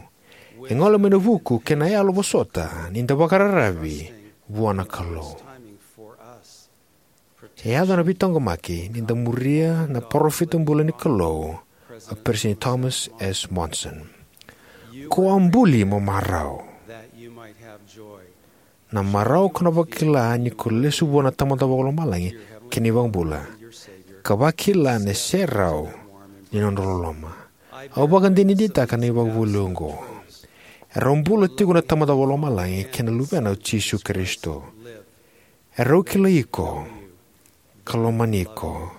E gole mai na vuku kei na yalo vosota ni da vakararavi vua na Kalou. E yaco na veitaqomaki ni da muria na parofita bula ni Kalou, o Peresitedi Thomas S. Monson. Ko a buli mo marau. Na marau ko na vakila ni ko lesu vua na Tamada Vakalomalagi kei na iVakabula, ka vakila na serau ni nodra loloma. Au vakadinadinataka na ivakavuvuli oqo. Erau bula tiko na Tamada Vakalomalagi kei na Luvena o Jisu Karisito. Erau kilai iko ka lomani iko.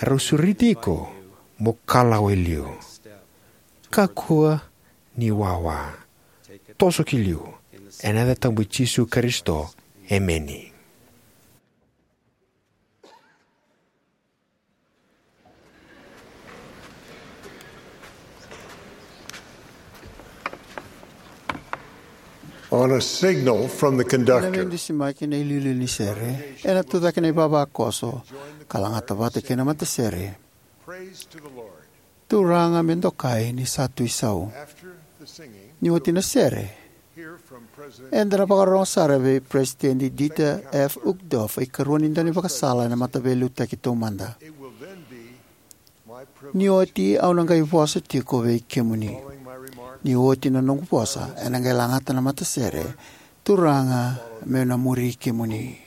Erau sureti iko mo kalawa e liu. Kakua ni wawa. Toso ki liu. Ena yaca tabu i Jisu Karisito. Emeni. On a signal from the conductor, na veidusimaki na iliuliu ni sere, ena tucake na ivavakoso ka lagata vata kei na matasere. Praise to the Lord. Turaga me dokai ni sa tu isau. After the singing, ni oti na sere, hear from President, eda na vakarorogo sara vei President Dieter F. Uchtdorf, ikarua ni daunivakasala ena Mataveiliutaki Taumada. It will then be my privilege. Ni oti au na qai vosa tiko vei kemuni. Following my remarks, ni oti na noqu vosa, ena qai lagata na matasere. Turaga, meu na muri kemuni.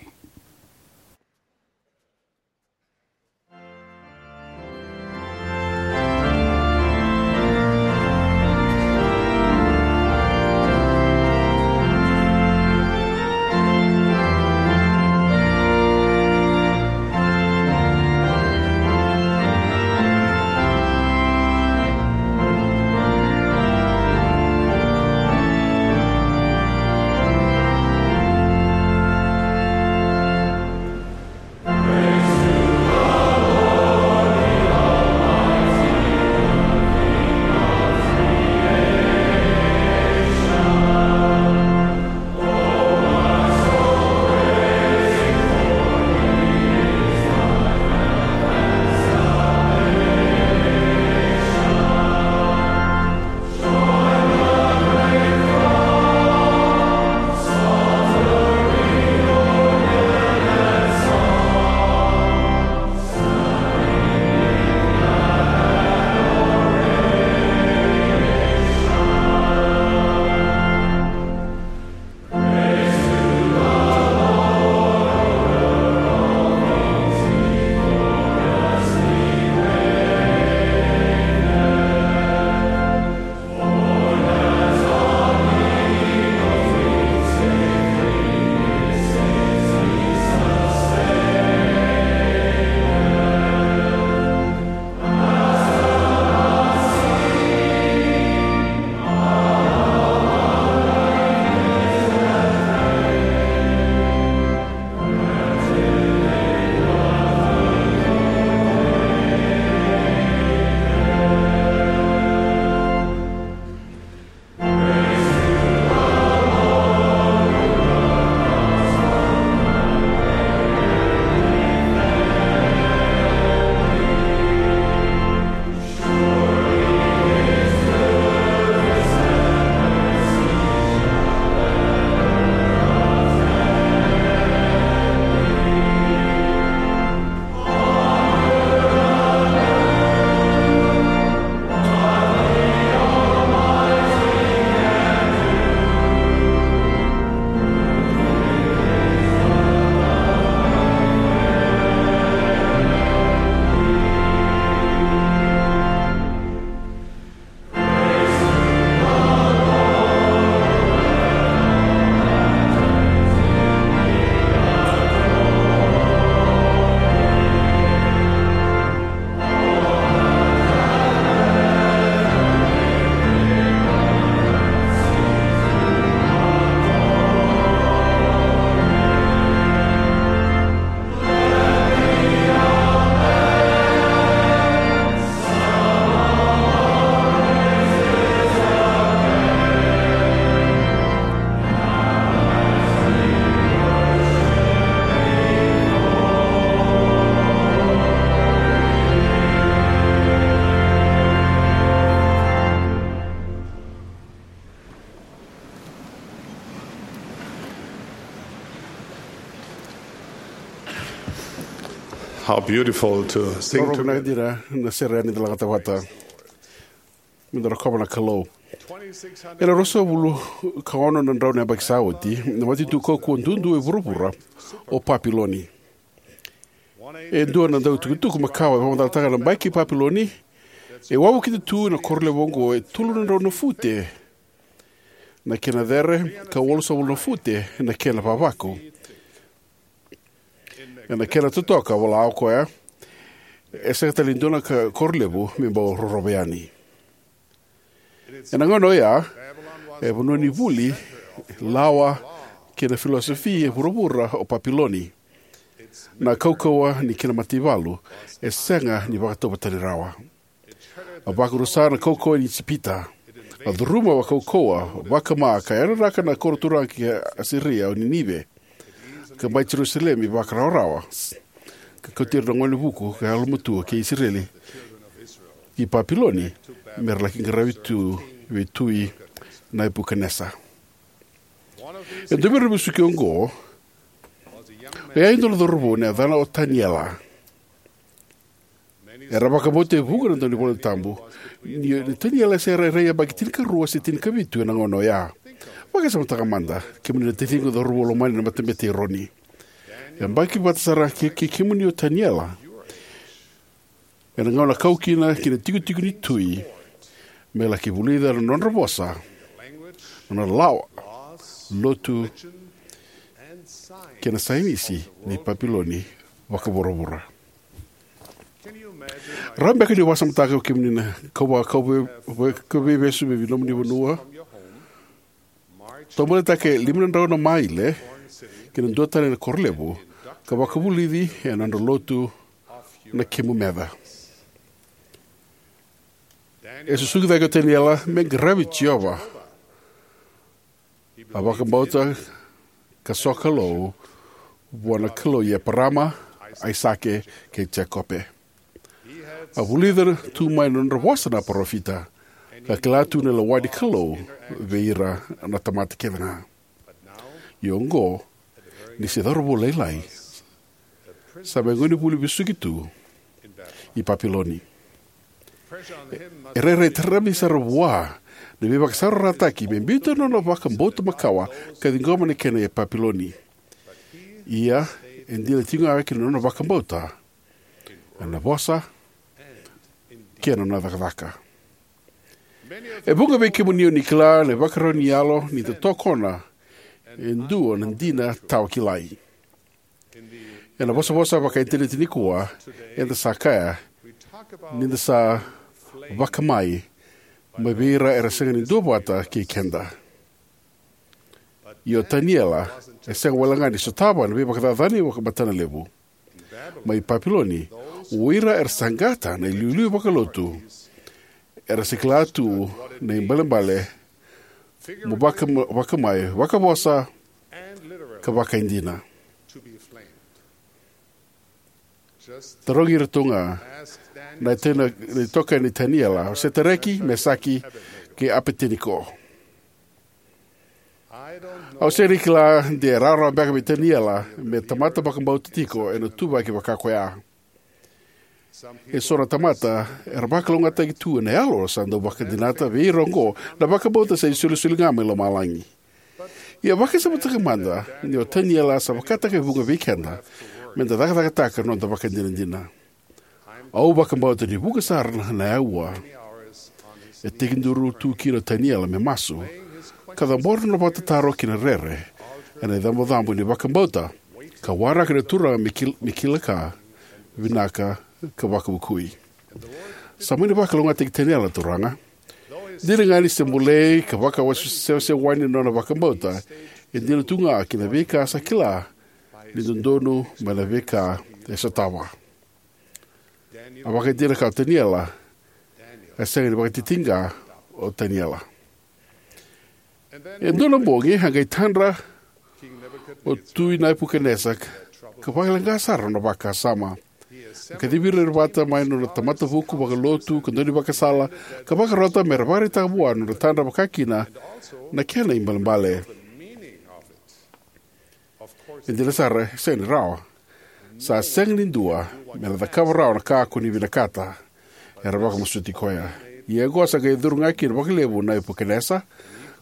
How beautiful to sing together. Rau na dina na sere ni da lagata vata. Me da rokova na Kalou. Ena ruasagavulu ka ono na drau na yabaki sa oti, na matanitu kaukauwa dudu e vuravura o Papiloni. E dua na dau tukutuku makawa e vakamacalataka na bai kei Papiloni e wavokita tu ena koro levu oqo e tolu na drau na fute na kena cere, ka walusagavulu na fute na kena vavaku. Ena kena totoka, vola o koya, e sega tale ni dua na ka, koro levu me bau rorovi yani. Ena gauna oya, e vanua ni vuli, lawa kei na filosofi e vuravura o Papiloni. Na kaukauwa ni kena mataivalu e sega ni vakatauvatani rawa. A vakarusa na kaukauwa ni Ijipita. A curuma vakaukauwa, vakama ka yararaka na koro turaga ki Asiria o Ninive, ka bai Jerusalemi vakarawarawa, ka kauti ira na gone vuku ka yalomatua kei Isireli ki Papiloni, me ra laki qaravi tu vei tui Nepukanesa. E dua vei ira na vesuki oqo e a dua na cauravou na yacana o Taniela. Era vakabauta e vuqa na daunivolatabu ni, ni Taniela se rairai yabaki tinikarua se tinikavitu ena gauna oya. Vakasamataka mada, kemuni na taciqu cauravou lomani na matabete i Eroni. E yabaki vata sara kei, kei kemuni o Taniela ena gauna kau kina ki na tikotiko ni tui me laki vulica na nodra vosa, nodra lawa, lotu, kei na sainisi ni Papiloni vakavuravura. Rawa beka ni vakasamataka kemuni na kau va, kau vei, vei, kau veivesu vei nomuni vanua, tobolitaka e lima na drau na maile ki na dua tale na koro levu, ka vakavulici ena nodra lotu na kemu meca. E susugi cake o Taniela me qaravi Jiova. A vakabauta ka sokalou vua na Kalou i Eparama, Aisake, kei Jekope. A vulica tu mai na nodra vosa na parofita, ka kila tu na lewa ni Kalou vei ira na tamata kece ga. Ia oqo, ni se cauravou lailai, sa mai gonevuli vesuki tu i Papiloni. E rairai taravi sara vua na veivakasaurarataki me biuta na nona vakabauta makawa ka ciqoma na kena e Papiloni. Ia, e dina tiko ga ki na nona vakabauta ena vosa kei na nona cakacaka. E vuqa vei kemuni o ni kila na ivakarau ni yalo ni da tokona e dua na dina tawa kilai. Ena vosavosa vakaintaneti nikua, eda sa kaya ni da sa vakamai mai vei ira era sega ni duavata kei keda. Ia o Taniela e sega wale ga ni sotava na veivakacacani vakamatana levu. Mai Papiloni, o ira era saqata na iliuliu vakalotu era sa kila tu na ibalebale mo vaka, vakamai, vakavosa ka vakaidina. Tarogi ira tu ga na itena, na itokani i Taniela, o Setareki, Mesaki, kei Apeteniko. Au sega ni kila de rawarawa beka vei Taniela me tamata vakabauta tiko ena tuvaki vaka koya. E so na tamata era vakalougatataki tu ena yalo sa dau vakadinata vei ira oqo na vakabauta sa isolisoli ga mai lomalagi. Ia vakasamataka mada ni o Taniela sa vakataka e vuqa vei keda me da cakacakataka na noda vakadinadina. Au vakabauta ni vuqa sara na aua e tekiduru tu kina o Taniela me masu, ka cabora na nona vakatataro kei na rere ena icabocabo ni vakabauta, ka waraka na Turaga me kil-, me kila ka vinaka ka vakavukui. Sa mani vakalougatataki Taniela na Turaga. Dina ga ni se bolei ka vakasewasewani na nona vakabauta, e dina tu ga ki na veika sa kila ni dodonu mai na veika e sotava. A vakaidina ka o Taniela, a sega ni vakatitiqa o Taniela. E dua na bogi a qai tadra o Tui Nepukanesa ka vakaleqa sara na nona vakasama. A kacivi ira vata mai na nona tamata vuku vakalotu ka daunivakasala, ka vakarota me ra vakaraitaka vua na nodra tadra vakakina na kena ibalebale. E dina sara, e sega ni rawa. Sa sega ni dua me na cakava rawa na ka ko ni vinakata, era vakamasuti koya. Ia oqo sa qai curu ga kina vakalevu o Nepukanesa,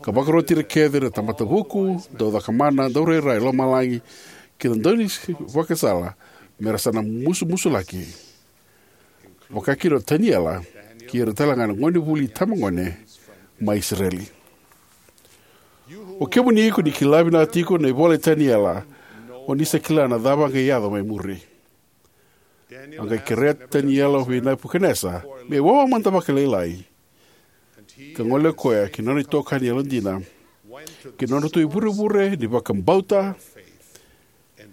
ka vakaroti ira kece na tamata vuku, dau cakamana, dau rairai lomalagi, kei na daunivakasala, me ra sa na musumusulaki, vakakina o Taniela kei ira tale ga na gonevuli itabagone mai Isireli. O kemuni ko ni kila vinaka tiko na ivola i Taniela, o ni sa kila na cava a qai yaco mai muri. A qai kerea o Taniela vei Nepukanesa me wawa mada vakalailai, ka gole o koya ki na nona itokani yalodina, ki na nodratou ivurevure ni vakabauta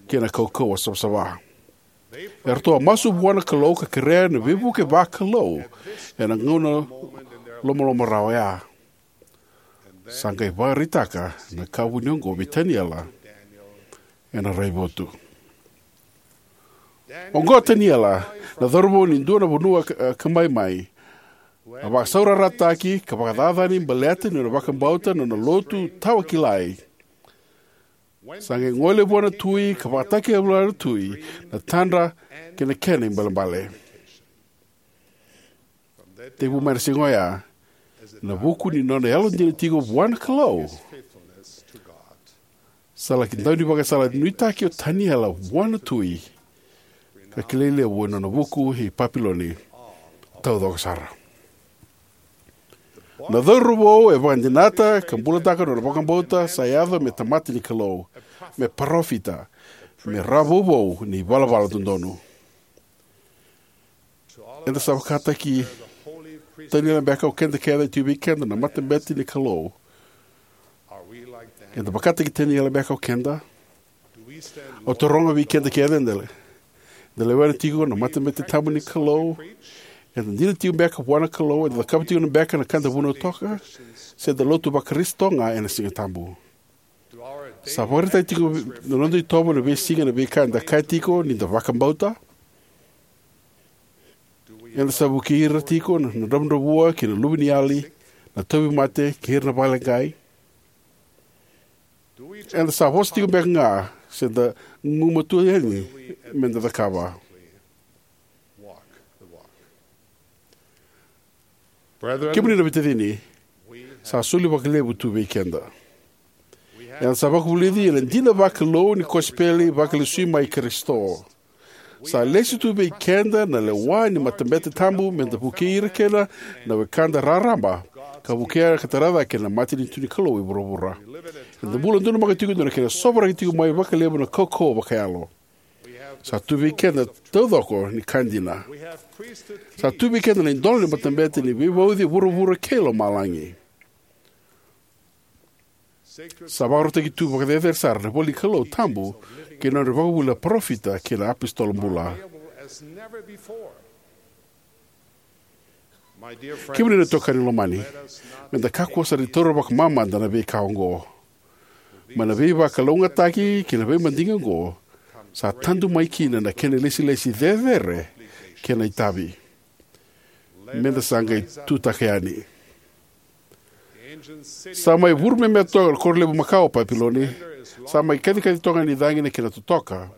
kei na kaukauwa savasava. Eratou a masu vua na Kalou ka kerea na veivuke vakalou ena gauna lomaloma rawa oya. Sa qai vakaraitaka na ka vuni oqo vei Taniela ena raivotu. Oqo o Taniela, na cauravou ni dua na vanua ka, ka maimai, a vakasaurarataki ka vakacacani baleta ni nona vakabauta na nona lotu tawa kilai. Sa qai gole vua na tui ka vakatakila vua na tui na tadra kei na kena ibalebale. Tekivu mai na siga oya, na vuku ni nona yalodina tiko vua na Kalou, sa laki dau ni vakasala nuitaki o Taniela vua na tui, ka kilai levu ena nona vuku i Papiloni taucoko sara. Na cauravou e vakadinata ka bulataka na nona vakabauta sa yaco me tamata ni Kalou, me parofita, me rawa vouvou ni valavala dodonu. Eda sa vakataki Taniela beka o keda kece, tiko vei keda na matabete ni Kalou. Eda vakataki Taniela beka o keda. Au taroga vei keda kece, eda le, eda lewena tiko na matabete tabu ni Kalou? Eda dina tiko beka vua na Kalou? Eda cakava tiko beka na ka eda vunautaka? Se eda lotu vaKarisito ga ena Siga Tabu? Sa vakaraitaki tiko na noda itovo na veisiga na veika eda kaya tiko ni da vakabauta? Eda sa vukei ira tiko na, na dravudravua kei na luveniyali, na tauvimate kei ira na vakaleqai? Eda sa vosa tiko beka ga, se da gumatua yani me da cakava? Kemuni na veitacini, sa soli vakalevu tu vei keda. Eda sa vakavulici ena dina vakalou ni kosipeli vakalesui mai Karisito. Sa lesi tu vei keda na lewa ni matabete tabu me da vukei ira kina na wekada raraba, ka vukea ka tara cake na matanitu ni Kalou e vuravura. Eda bula donumaka tiko ena dua na kena sovaraki tiko mai vakalevu na kaukauwa vakayalo. Sa tu vei keda taucoko ni ka dina. Sa tu vei keda na idola ni matabete ni veivauci e vuravura kei lomalagi. Sa vakarautaki tu vakacecere sara na ivola ni Kalou tabu kei na nodra ivakavuvuli na parofita kei na iapositolo bula. Kemuni na itokani lomani, me da kakua sara ni taura vakamamada na veika oqo. Mai na veivakalougatataki kei na veimadigi oqo, sa tadu mai kina na kena ilesilesi cecere kei na itavi. Me da sa qai tutaka yani. Sa mai vuru me me toka na koro levu makawa o Papiloni. Sa mai kacikaci toka ni cagi na kena totoka.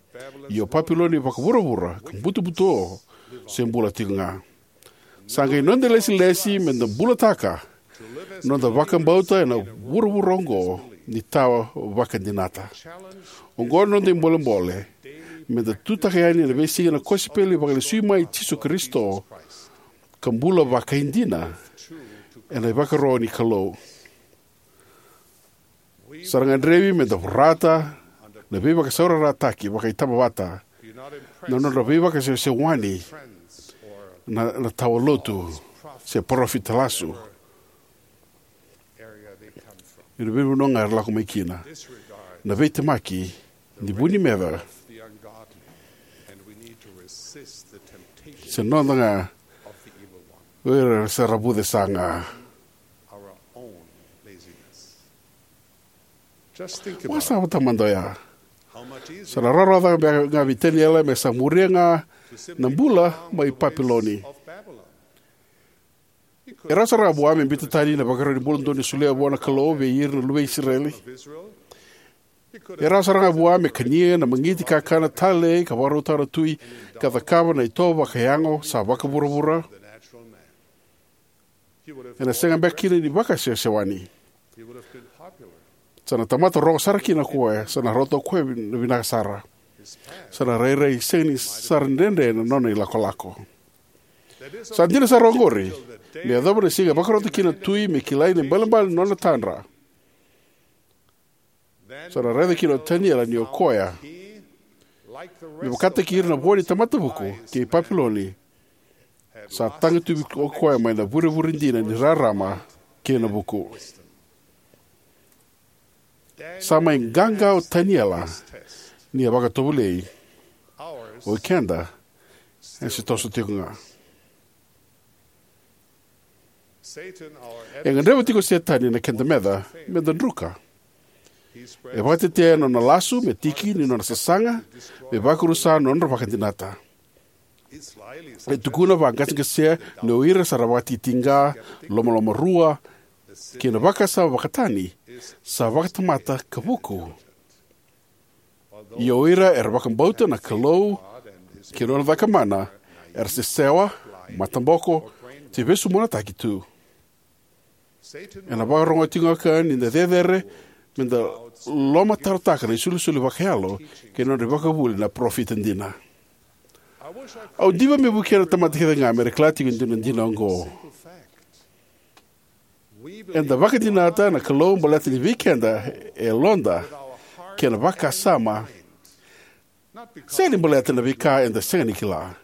Ia o Papiloni vakavuravura ka butobuto se bula tiko ga. Sa qai noda ilesilesi me da bulataka noda vakabauta ena vuravura oqo ni tawa vakadinata. Oqo na noda ibolebole, me da tutaka yani ena veisiga na kosipeli vakalesui mai Jisu Karisito, ka bula vakaidina ena ivakaro ni Kalou. Sa ra gadrevi me da vorata na veivakasaurarataki vakaitabavata, na nodra veivakasewasewani, na, na tawa lotu, se parofita lasu. Ena veivanua ga era lako mai kina. Na veitemaki ni vu ni meca, se noda ga o ira sa ra vuce saga. Vakasavata mada oya. Sa na rawarawa cake beka ga vei Taniela me sa muria ga na bula mai Papiloni. E rawa sara ga vua me biuta tani na vakarau ni bula dodonu e solia vua na Kalou vei ira na luve i Isireli. E rawa sara ga vua me kania na magiti kakana talei ka vakarautaka na tui, ka cakava na itovo vakayago sa vakavuravura. Ena sega beka kina ni vakasewasewani. Sa na tamata rogo sara kina o koya, sa na rauta o koya vin-, vinaka sara. Sa na rairai sega ni sara ni dredre na nona ilakolako. Sa dina sara oqori, me yacova na siga e vakarauta kina na tui me kilai na ibalebale ni nona tadra. Sa na raica kina o Taniela ni o koya, me vakataki ira na vo ni tamata vuku kei Papiloni, sa taga tu o koya mai na vurevure dina ni rarama kei na vuku. Sa mai qaqa o Taniela ni a vakatovolei. O keda e se toso tiko ga. E gadreva tiko o Setani na keda meca me da druka. E vakatetea na nona lasu me tiki ni nona sasaga me vakarusa na nodra vakadinata. E tukuna vaqaseqase ni o ira sa ra vakatitiqa, lomalomarua, kei na vakasama vakatani sa vakatamata ka vuku. Ia o ira era vakabauta na Kalou kei na nona cakamana era sesewa, mataboko, se vesumonataki tu. Ena vakarogo tiko ga ni da cecere me da lomatarotaka na isolisoli vakayalo kei na nodra ivakavuvuli na parofita dina. Au diva me vukea na tamata kece ga me ra kila tiko e dua na dina oqo. Eda vakadinata na Kalou baleta ni vei keda e yaloda kei na vakasama, sega ni baleta na veika eda sega ni kila.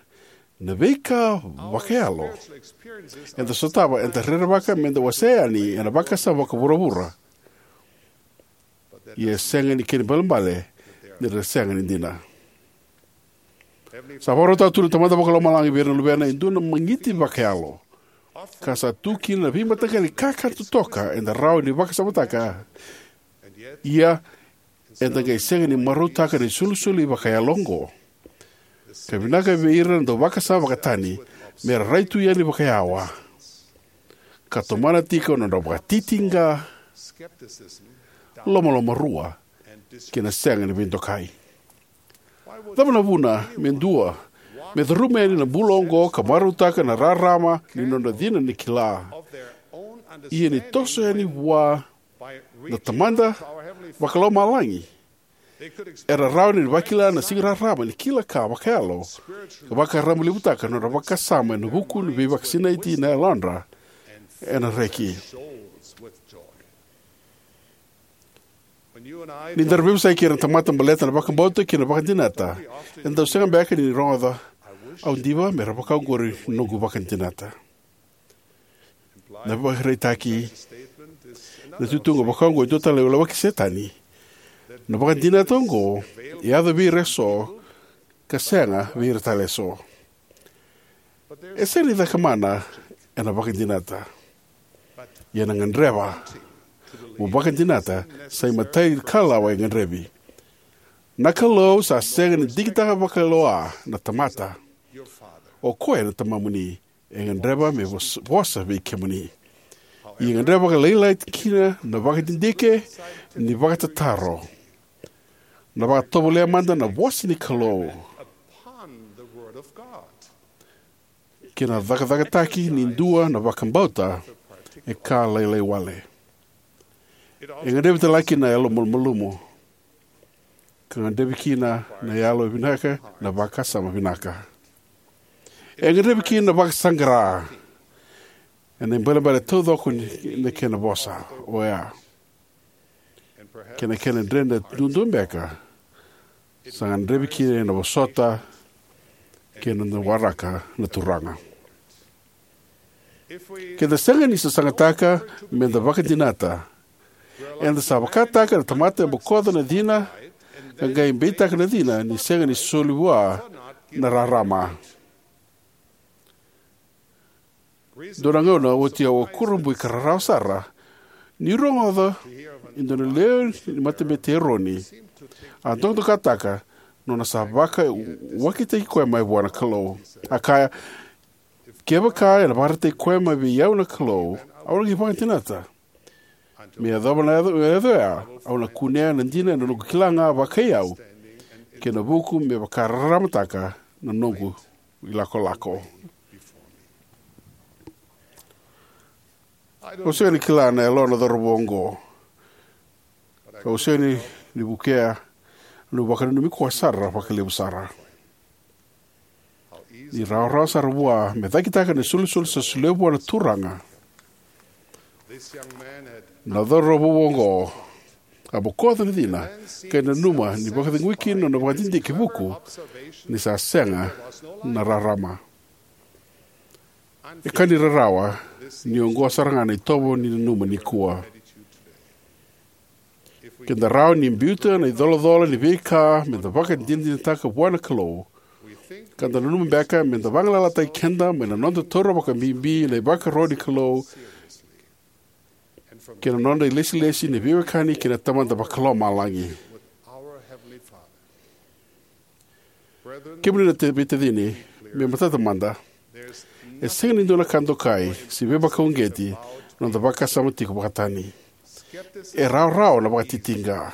Na veika vakayalo eda sotava eda rerevaka me da wasea yani ena vakasama vakavuravura. Ia e sega ni kena ibalebale ni ra sega ni dina. Sa vakarautaka tu na Tamada Vakalomalagi vei ira na luvena e dua na magiti vakayalo, ka sa tu kina na veimataqali kakana totoka eda rawa ni vakasamataka. Ia eda qai sega ni marautaka na isolisoli vakayalo oqo. Ka vinaka vei ira na dau vakasama vakatani me ra rai tu yani vakayawa ka tomana tiko na nodra vakatitiqa, lomalomarua, kei na sega ni veidokai. Cava na vuna me dua me curuma yani na bula oqo ka marautaka na rarama ni nodra cina ni kila, ia ni toso yani vua na Tamada Vakalomalagi? Era rawa ni vakila na sega ni rarama ni kila ka vakayalo ka vakarabailevutaka na nodra vakasama ena vuku ni veivakasinaiti na yalodra ena reki. Ni da ra veivesuki kei ira na tamata baleta na vakabauta kei na vakadinata, eda dau sega beka ni rogoca, "Au diva me ra vakaoqori noqu vakadinata." Na vakaraitaki, na itutu oqo vakaoqo e dua tale na lawaki Setani. Na vakadinata oqo e yaco vei ira eso ka sega vei ira tale eso. E sega ni cakamana ena vakadinata. Ia na gadreva mo vakadinata sa imatai ni kalawa e gadrevi. Na Kalou sa sega ni digitaka vakalewa na tamata. O koya na Tamamuni e gadreva me vos-, vosa vei kemuni. Ia e gadreva vakalailai kina na vakadidike ni vakatataro. Na vakatovolea mada na vosa ni Kalou kei na cakacakataki ni dua na vakabauta e ka lailai wale. E gadrevi tale ga kina na yalo malumalumu, ka gadrevi kina na yalo vinaka, na vakasama vinaka. E gadrevi kina na vakasaqara ena ibalebale taucoko ni, na kena vosa oya. Kei na kena dredre duadua beka, sa gadrevi kina na vosota kei na waraka na Turaga. Ke da sega ni sasagataka me da vakadinata, eda sa vakataka na tamata e bokoca na cina, ka qai beitaka na cina ni sega ni soli vua na rarama. Dua na gauna oti au a kurabui ka rarawa sara niu rogoca e dua na lewe ni matabete i Eroni a dokadokataka nona sa vakawakitaki koya mai vua na Kalou. A kaya, "Kevaka ena vakaraitaki koya mai vei au na Kalou, au na qai vakadinata. Me yacova na yaco, yaco ya, au na kunea na dina ena noqu kila ga vakai au kei na vuku me vakararamataka na noqu ilakolako." Au sega ni kila na yalo na cauravou oqo. Au sega ni, ni vukea, niu vakananumi koya sara vakalevu sara. Ni rawarawa sara vua me cakitaka na isolisoli sa solia vua na Turaga. Na cauravou oqo a bokoca na cina, ka nanuma ni vakacegui kina na nona vakadidike vuku ni sa sega na rarama. E ka ni rarawa ni oqo sara ga na itovo ni nanuma nikua. Ke da rawa ni biuta na icolacola ni veika me da vakadinadinataka vua na Kalou, Ka da nanuma beka me da vagalalataki keda mai na noda taura vakabibi na ivakaro ni Kalou kei na nodra ilesilesi na veiwekani kei na Tamada Vakalomalagi. Kemuni na te- veitacini, me matata mada, e sega ni dua na ka dokai se veivakauqeti na noda vakasama tiko vakatani. E rawarawa na vakatitiqa.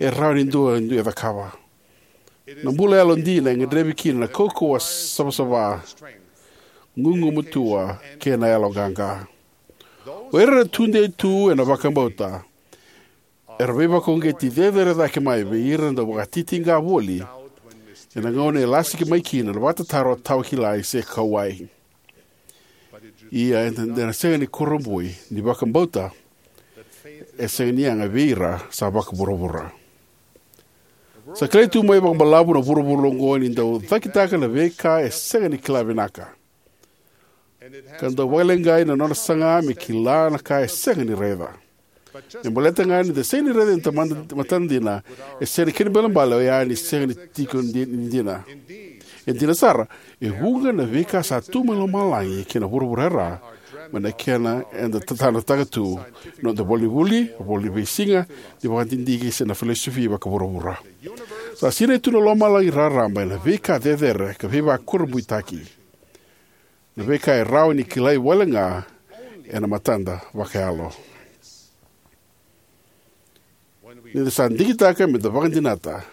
E rawa ni dua e dua e cakava. Na bula yalodina e gadrevi kina na kaukauwa savasava, gugumatua, kei na yaloqaqa. O ira era tudei tu ena vakabauta era veivakauqeti cecere cake mai vei ira na dau vakatitiqa voli ena gauna e lasiki mai kina na vakatataro tawakilai se kauwai. Ia eda na sega ni kurabui ni vakabauta e sega ni yaga vei ira sa vakavuravura. Sa kilai tu mai vakabalavu na vuravura oqo ni dau cakitaka na veika e sega ni kila vinaka, ka dau vakaleqai na nona saga me kila na ka e sega ni raica. Me baleta ga ni da sega ni raica ena tamada matada dina, e sega ni kena ibalebale oya ni sega ni tiko di- ni dina. E dina sara, e vuqa na veika sa tu mai lomalagi kei na vuravura e ra, mai na kena eda tatanataka tu, noda ivola ni vuli, ivola ni veisiga, ni vakadidike se na filosofi vakavuravura. Sa sinai tu na lomalagi raraba ena veika cecere ka veivakurabuitaki, na veika e rawa ni kilai wale ga ena matada vakayalo. Ni da sa digitaka me da vakadinata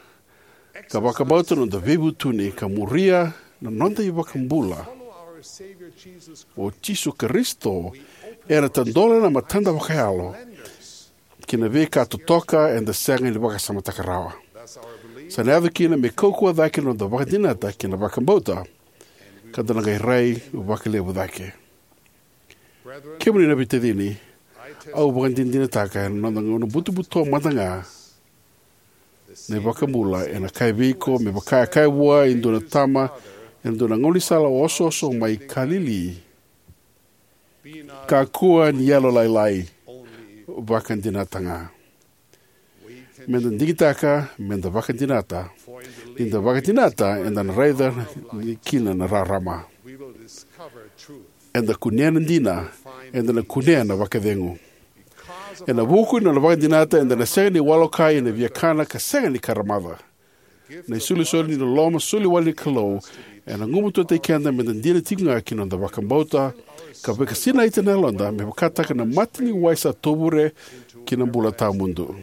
ka vakabauta na noda veivutuni ka muria na noda iVakabula o Jisu Karisito, ena tadola na matada vakayalo ki na veika totoka eda sega ni vakasamataka rawa. Sa na yaco kina me kaukauwa cake na noda vakadinata kei na vakabauta, ka da na qai rai vakalevu cake. Kemuni na veitacini, au vakadinadinataka ena noda gauna butobuto mada ga, na iVakabula ena kaya vei iko me vaka e kaya vua e dua na tama ena dua na gaunisala osooso mai Kalili: "Kakua ni yalolailai, vakadinata ga." Me da digitaka me da vakadinata. Ni da vakadinata, eda na raica kina na rarama. Eda kunea na dina, eda na kunea na vakacegu. Ena vuku ni nona vakadinata, eda na sega ni walokai ena viakana ka sega ni karamaca. Na isolisoli ni loloma soli wale ni Kalou ena gumatuataki keda me da dina tiko ga ki na noda vakabauta, ka vakasinaita na yaloda me vakataka na mata ni wai sa tovure ki na bula tawamudu.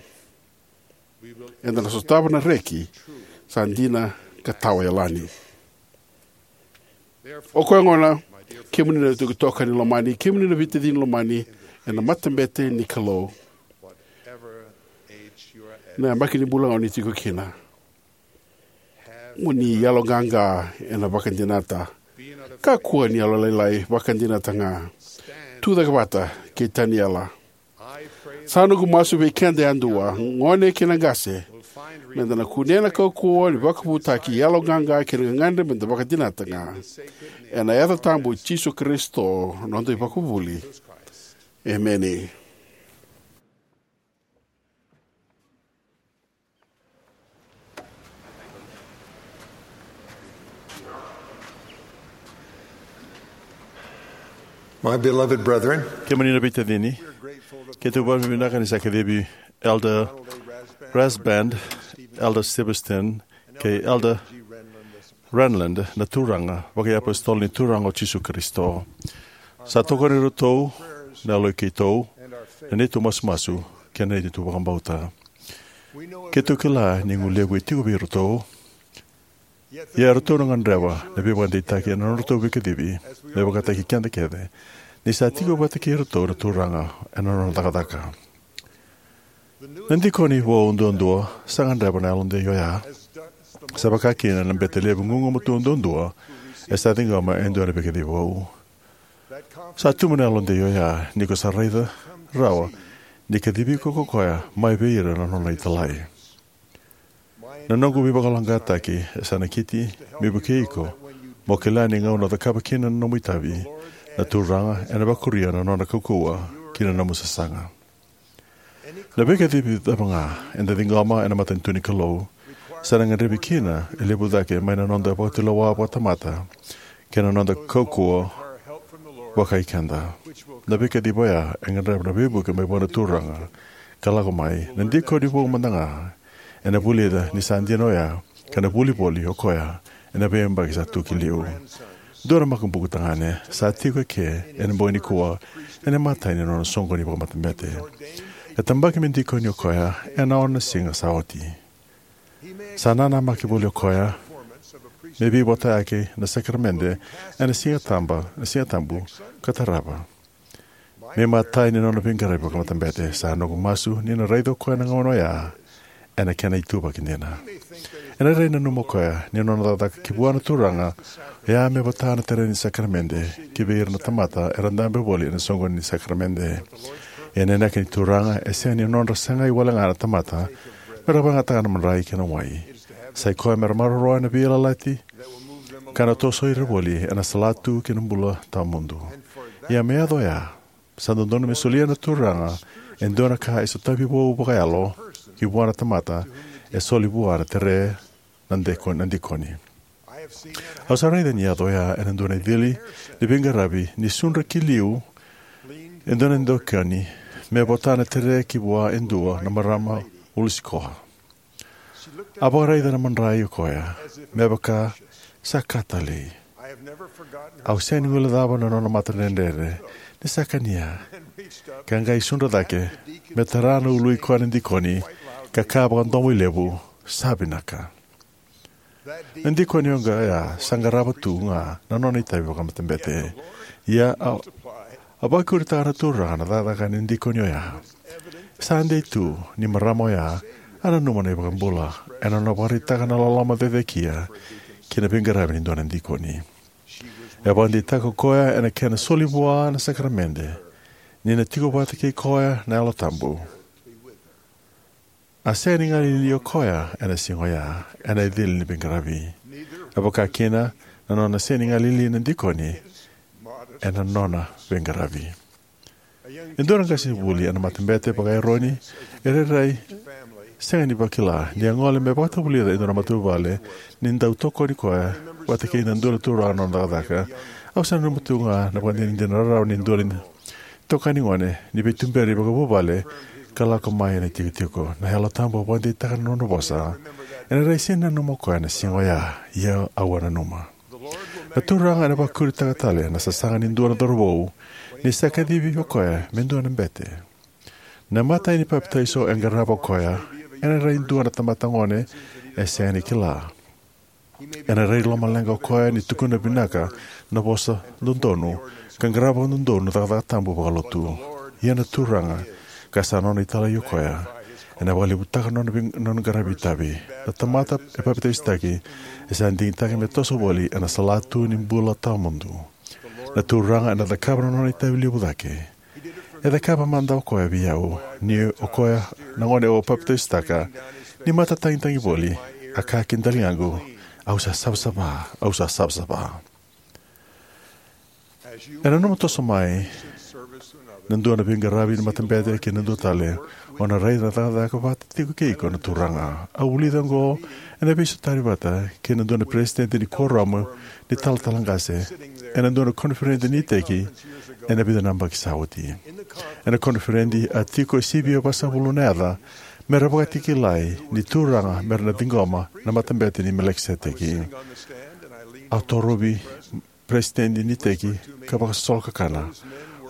Eda na sotava na reki sa dina ka tawayalani. O koya gona, kemuni na itokani lomani, kemuni na veitacini lomani ena matabete ni Kalou, na yabaki ni bula ga o ni tiko kina, mo ni yaloqaqa ena vakadinata. Kakua ni yalolailai, vakadinata ga. Tu cake vata kei Taniela. Sa noqu masu vei keda yadua, gone kei na qase, me da na kunea na kaukauwa ni vakavutaki, yaloqaqa kei na gagadre me da vakadinata ga. Ena yaca tabu i Jisu Karisito, noda iVakavuvuli. Emeni. My beloved brethren, kemuni na veitacini, keitou vakavinavinaka ni sa kacivi Elder Rasband, Elder Sebastian, kei Elder Renlund na turaga vakaiapositolo ni Turaga o Jisu Karisito. Sa tokoni iratou na yaloi keitou, na neitou masumasu, kei na neitou vakabauta. Keitou kila ni guilevu e tiko vei iratou, ia eratou na gadreva na veivakadeitaki ena nodratou veikacivi, me vakataki keda kece, ni sa tiko vata kei iratou na Turaga ena nona cakacaka. Na dikoni vou duadua sa gadreva na yalodei oya, sa vaka kina na bete levu gugumatua duadua e sa ciqoma e dua na veikacivi vou. Sa tu mai na yalodei oya ni ko sa raica rawa ni kacivi iko ko koya mai vei ira na nona italai. Na noqu veivakayaloqaqataki e sa nakiti me vukei iko mo kila ni gauna o cakava kina na nomu itavi, na Turaga ena vakuria na nona kaukauwa ki na nomu sasaga. Na veikacivi cava ga eda ciqoma ena matanitu ni Kalou Sa na gadrevi kina e levu cake mai na noda vakatulewa vakatamata kei na noda kaukauwa vakai keda. Na veikacivi oya e gadreva na veivuke mai vua na Turaga ka lako mai. Na dikoni vou mada ga ena vulica ni sa dina oya, ka na vuli voli o koya ena veiyabaki sa tu ki liu. Dua na makubuqu tagane sa tiko eke ena bogi nikua ena imatai ni nona soqoni vakamatabete. E tabaki me dikoni o koya ena ono na siga sa oti. Sa nanamaki voli o koya me veivotayaki na sakaramede ena Siga Tabu, na Siga Tabu ka tarava me imatai ni nona veiqaravi vakamatabete. Sa noqu masu ni na raica o koya na gauna oya ena kena ituvaki dina. Ena rairai nanuma o koya ni nona cakacaka ki vua na Turaga oya me vota na tere ni sakaramede ki vei ira na tamata era dabe voli ena soqoni ni sakaramede. Ia na inaki ni Turaga e sega ni nodra sagai wale ga na tamata mera vakayagataka na madrai kei na wai. Sa i koya mera maroroya na veiyalayalati ka na tosoi ira voli ena salatu ki na bula tawamudu. Ia me yaco oya, sa dodonu me solia na Turaga e dua na ka e sotavi vou vakayalo ki vua na tamata e soli vua na tere na dikoni, na dikoni. Au sa raica ni yaco oya ena dua na icili ni veiqaravi ni sudra ki liu e dua na dikoni me vota na tere ki vua e dua na marama ulu sikoa. A vakaraica na madrai o koya me vaka sa ka talei. Au sega ni guilecava na nona mata dredre ni sa kania ka qai sudra cake me tara na ului koya na dikoni ka kaya vakadomoilevu, "Sa vinaka." Na dikoni oqo ya sa qarava tu ga na nona itavi vakamatabete. Ia a, a vakuritaka na Turaga na cakacaka ni dikoni oya. Sa dei tu ni marama oya a nanuma na iVakabula ena nona vakaraitaka na loloma cecekia ki na veiqaravi ni dua na dikoni. E vakadeitaka o koya ena kena soli vua na sakaramede ni na tiko vata kei koya na Yalo Tabu. A sega ni galili o koya ena siga oya ena icili ni veiqaravi. E vaka kina na nona sega ni galili na dikoni ena nona veiqaravi. E dua na qasenivuli ena matabete vaka-Eroni e rairai sega ni vakila ni a gole me vakatavulica e dua na matavuvale ni dau tokoni koya vata kei na dua na turaga na nona cakacaka. Au sa nanuma tu ga na vakadinadina rarawa ni dua na itokani gone ni veituberi vakavuvale ka lako mai ena itikotiko. Na Yalo Tabu a vakadeitaka na nona vosa. Ena rairai sega ni nanuma o koya na siga oya, ia au a nanuma. Na Turaga ena vakuritaka tale na sasaga ni dua na cauravou ni sa kacivi o koya me dua na bete. Na imatai ni papitaiso e qarava o koya ena rairai dua na tamata gone e sega ni kila. Ena rairai lomaleqa o koya ni tukuna vinaka na vosa dodonu ka qarava dodonu na cakacaka tabu vakalotu. Ia na Turaga, ka sa nona italai o koya, ena vakalevutaka na nona vei-, nona qaravi itavi. Na tamata e papitaisotaki e sa digitaki me toso voli ena salatu ni bula tawamudu. Na Turaga ena cakava na nona itavi levu cake. E cakava mada o koya vei au, ni o koya na gone au a papitaisotaka, ni mata tagitagi voli, a kaya ki daligaqu, "Au sa savasava, au sa savasava." Ena nanuma toso mai na dua na veiqaravi ni matabete kei na dua tale, o na raica na cakacaka vata tiko kei iko na Turaga. Au vulica oqo ena veisotari vata kei na dua na peresitedi ni kuoramu ni talatala qase ena dua na koniferedi ni iteki ena vica na yabaki sa oti. Ena koniferedi a tiko e sivia vasagavulu na yaca mera vakatakilai ni Turaga mera na ciqoma na matabete ni Melikiseteki. Au torovi peresitedi ni iteki ka vakasosolo kakana.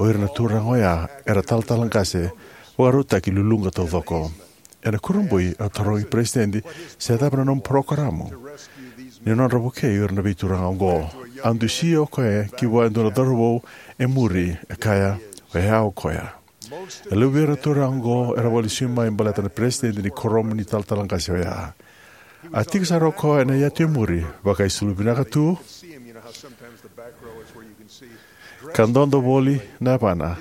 O ira na turaga oya era talatala qase vakarautaki luluqa taucoko. Ena kurabui au tarogi peresitedi se cava na nomu parokaramu ni nodra vukei ira na veituraga oqo. A dusia o koya ki vua e dua na cauravou e muri, e kaya, "O ya o koya." E levu vei ira na turaga oqo era vakalesui mai baleta na peresitedi ni kuoramu ni talatala qase oya. A tiko sara o koya ena yatu e muri, vakaisulu vinaka tu, ka dodo voli na yavana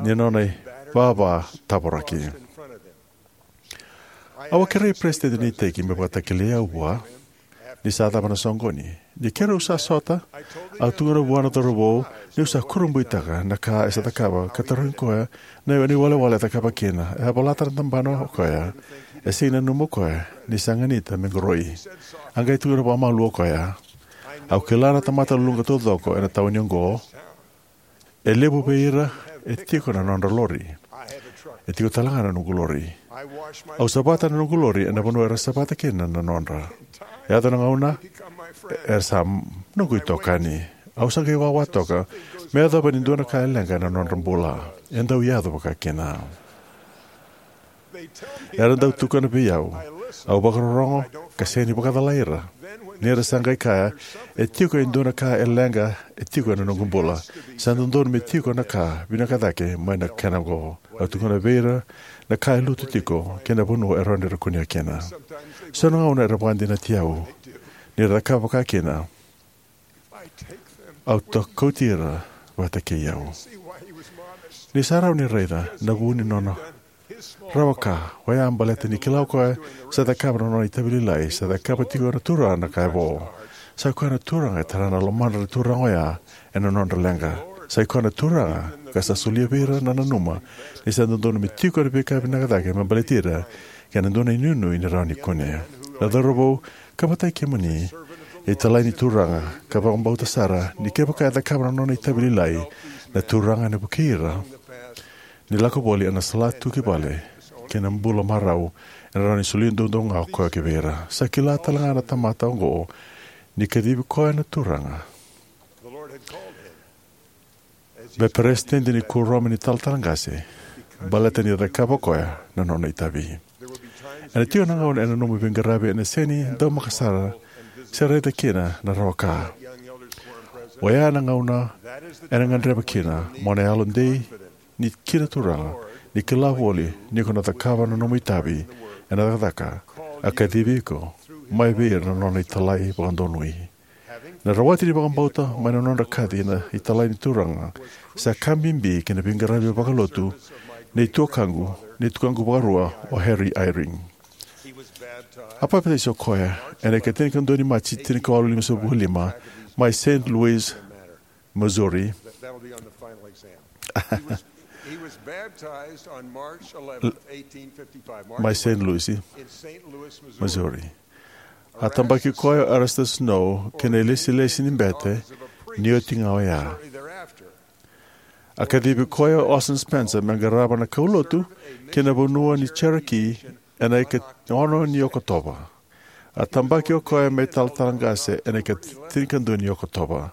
ni nona ivava tavoraki. Au a kerei peresitedi ni iteki me vakatakilai au vua. Ni sa cava na soqoni? Ni keirau sa sota, au tukuna vua na cauravou niu sa kurabuitaka na ka e sa cakava ka tarogi koya na iwalewale e cakava kina. E a volata na tabana o koya. E sega ni nanuma o koya ni sa ganita me qoroi. A qai tukuna vakamalua o koya, "Au kila na tamata luqa taucoko ena tauni oqo. E levu vei ira e tiko na nodra lori. E tiko tale ga na noqu lori. Au savata na noqu lori ena vanua era savata kina na nodra. Yaco na gauna, era sa noqu itokani. Au sa qai wawa toka me yacova ni dua na ka e leqa ena nodra bula. E dau yaco vakakina." Era dau tukuna vei au. Au vakarorogo ka sega ni vakacalai ira. Ni ra sa qai kaya, "E tiko e dua na ka e leqa e tiko ena noqu bula. Sa dodonu me tiko na ka vinaka cake mai na kena oqo." Au tukuna vei ira na ka e lutu tiko kei na vanua e rawa ni ra kunea kina. So na gauna era vakadinati au ni ra cakava vakakina. Au kauti ira vata kei au. Ni sa rawa ni raica na vu ni nona rawa ka oya baleta ni kila o koya sa cakava na nona itavi lailai, sa cakava tiko na Turaga na ka e vo. Sa koya na Turaga e tara na lomadra na turaga oya ena nodra leqa. Sa i koya na Turaga ka sa solia vei ira na nanuma ni sa dodonu me tiko na veika vinaka cake me baleti ira kei na dua na inuinui ni rawa ni kune. Na cauravou ka vakai kemuni, e italai ni Turaga ka vakabauta sara ni kevaka e cakava na nona itavi lailai, na Turaga ena vukei ira ni lako voli ena salatu ki vale kei na bula marau ena rawa ni solia duadua ga o koya ki vei ira. Sa kila tale ga na tamata oqo ni kacivi koya na Turaga me peresitedi ni kuoramu ni talatala qase baleta ni cakava o koya na nona itavi. Ena tiko na gauna ena nomu veiqaravi ena sega ni daumaka sara se raica kina na rawa ka. Oya na gauna ena gadreva kina mo na yalodei ni kina Turaga, ni kila voli ni ko na cakava na nomu itavi ena cakacaka a kacivi iko mai vei ira na nona italai vakadonui. Na rawati ni vakabauta mai na nodra kaci na italai ni Turaga sa ka bibi ki na veiqaravi vakalotu nei tuakaqu, nei tuakaqu vakarua o Harry Eyring. A papitaiso koya ena ikatinikadua ni Maji tinikawalu limasagavulu ka lima mai Saint Louis, Missouri. He was baptized on March eleventh, eighteen fifty-five. Mai Saint Louis, in Saint Louis, Missouri. Missouri. A tabaki koya o Erastus Snow ki na ilesilesi ni bete ni oti ga oya. A kacivi koya o Orson Spencer me qarava na kaulotu ki na vanua ni Cherokee ena ikaono ni Okotova. A tabaki o koya me talatala qase ena ikatinikadua ni Okotova.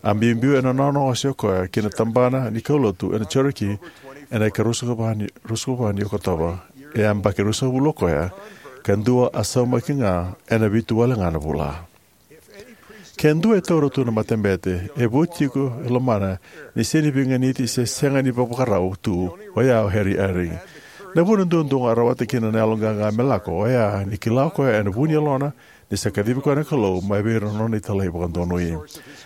A biubiu ena nona ose o koya ki na tabana ni kaulotu ena Cherokee ena ikaruasagavulu ka va ni Okotova. E yabaki ruasagavulu o koya, ka dua a saumaki ga ena vitu wale ga na vula. Ke dua e taura tu na matabete, e vu tiko e lomana ni sega ni veiganiti se sega ni vakavakarau tu, oya o Harry Eyring. Na vuna duadua ga a rawata kina na yaloqaqa me lako, oya ni kila o koya ena vu ni yalona ni sa kacivi koya na Kalou mai vei ira na nona italai vakadonui.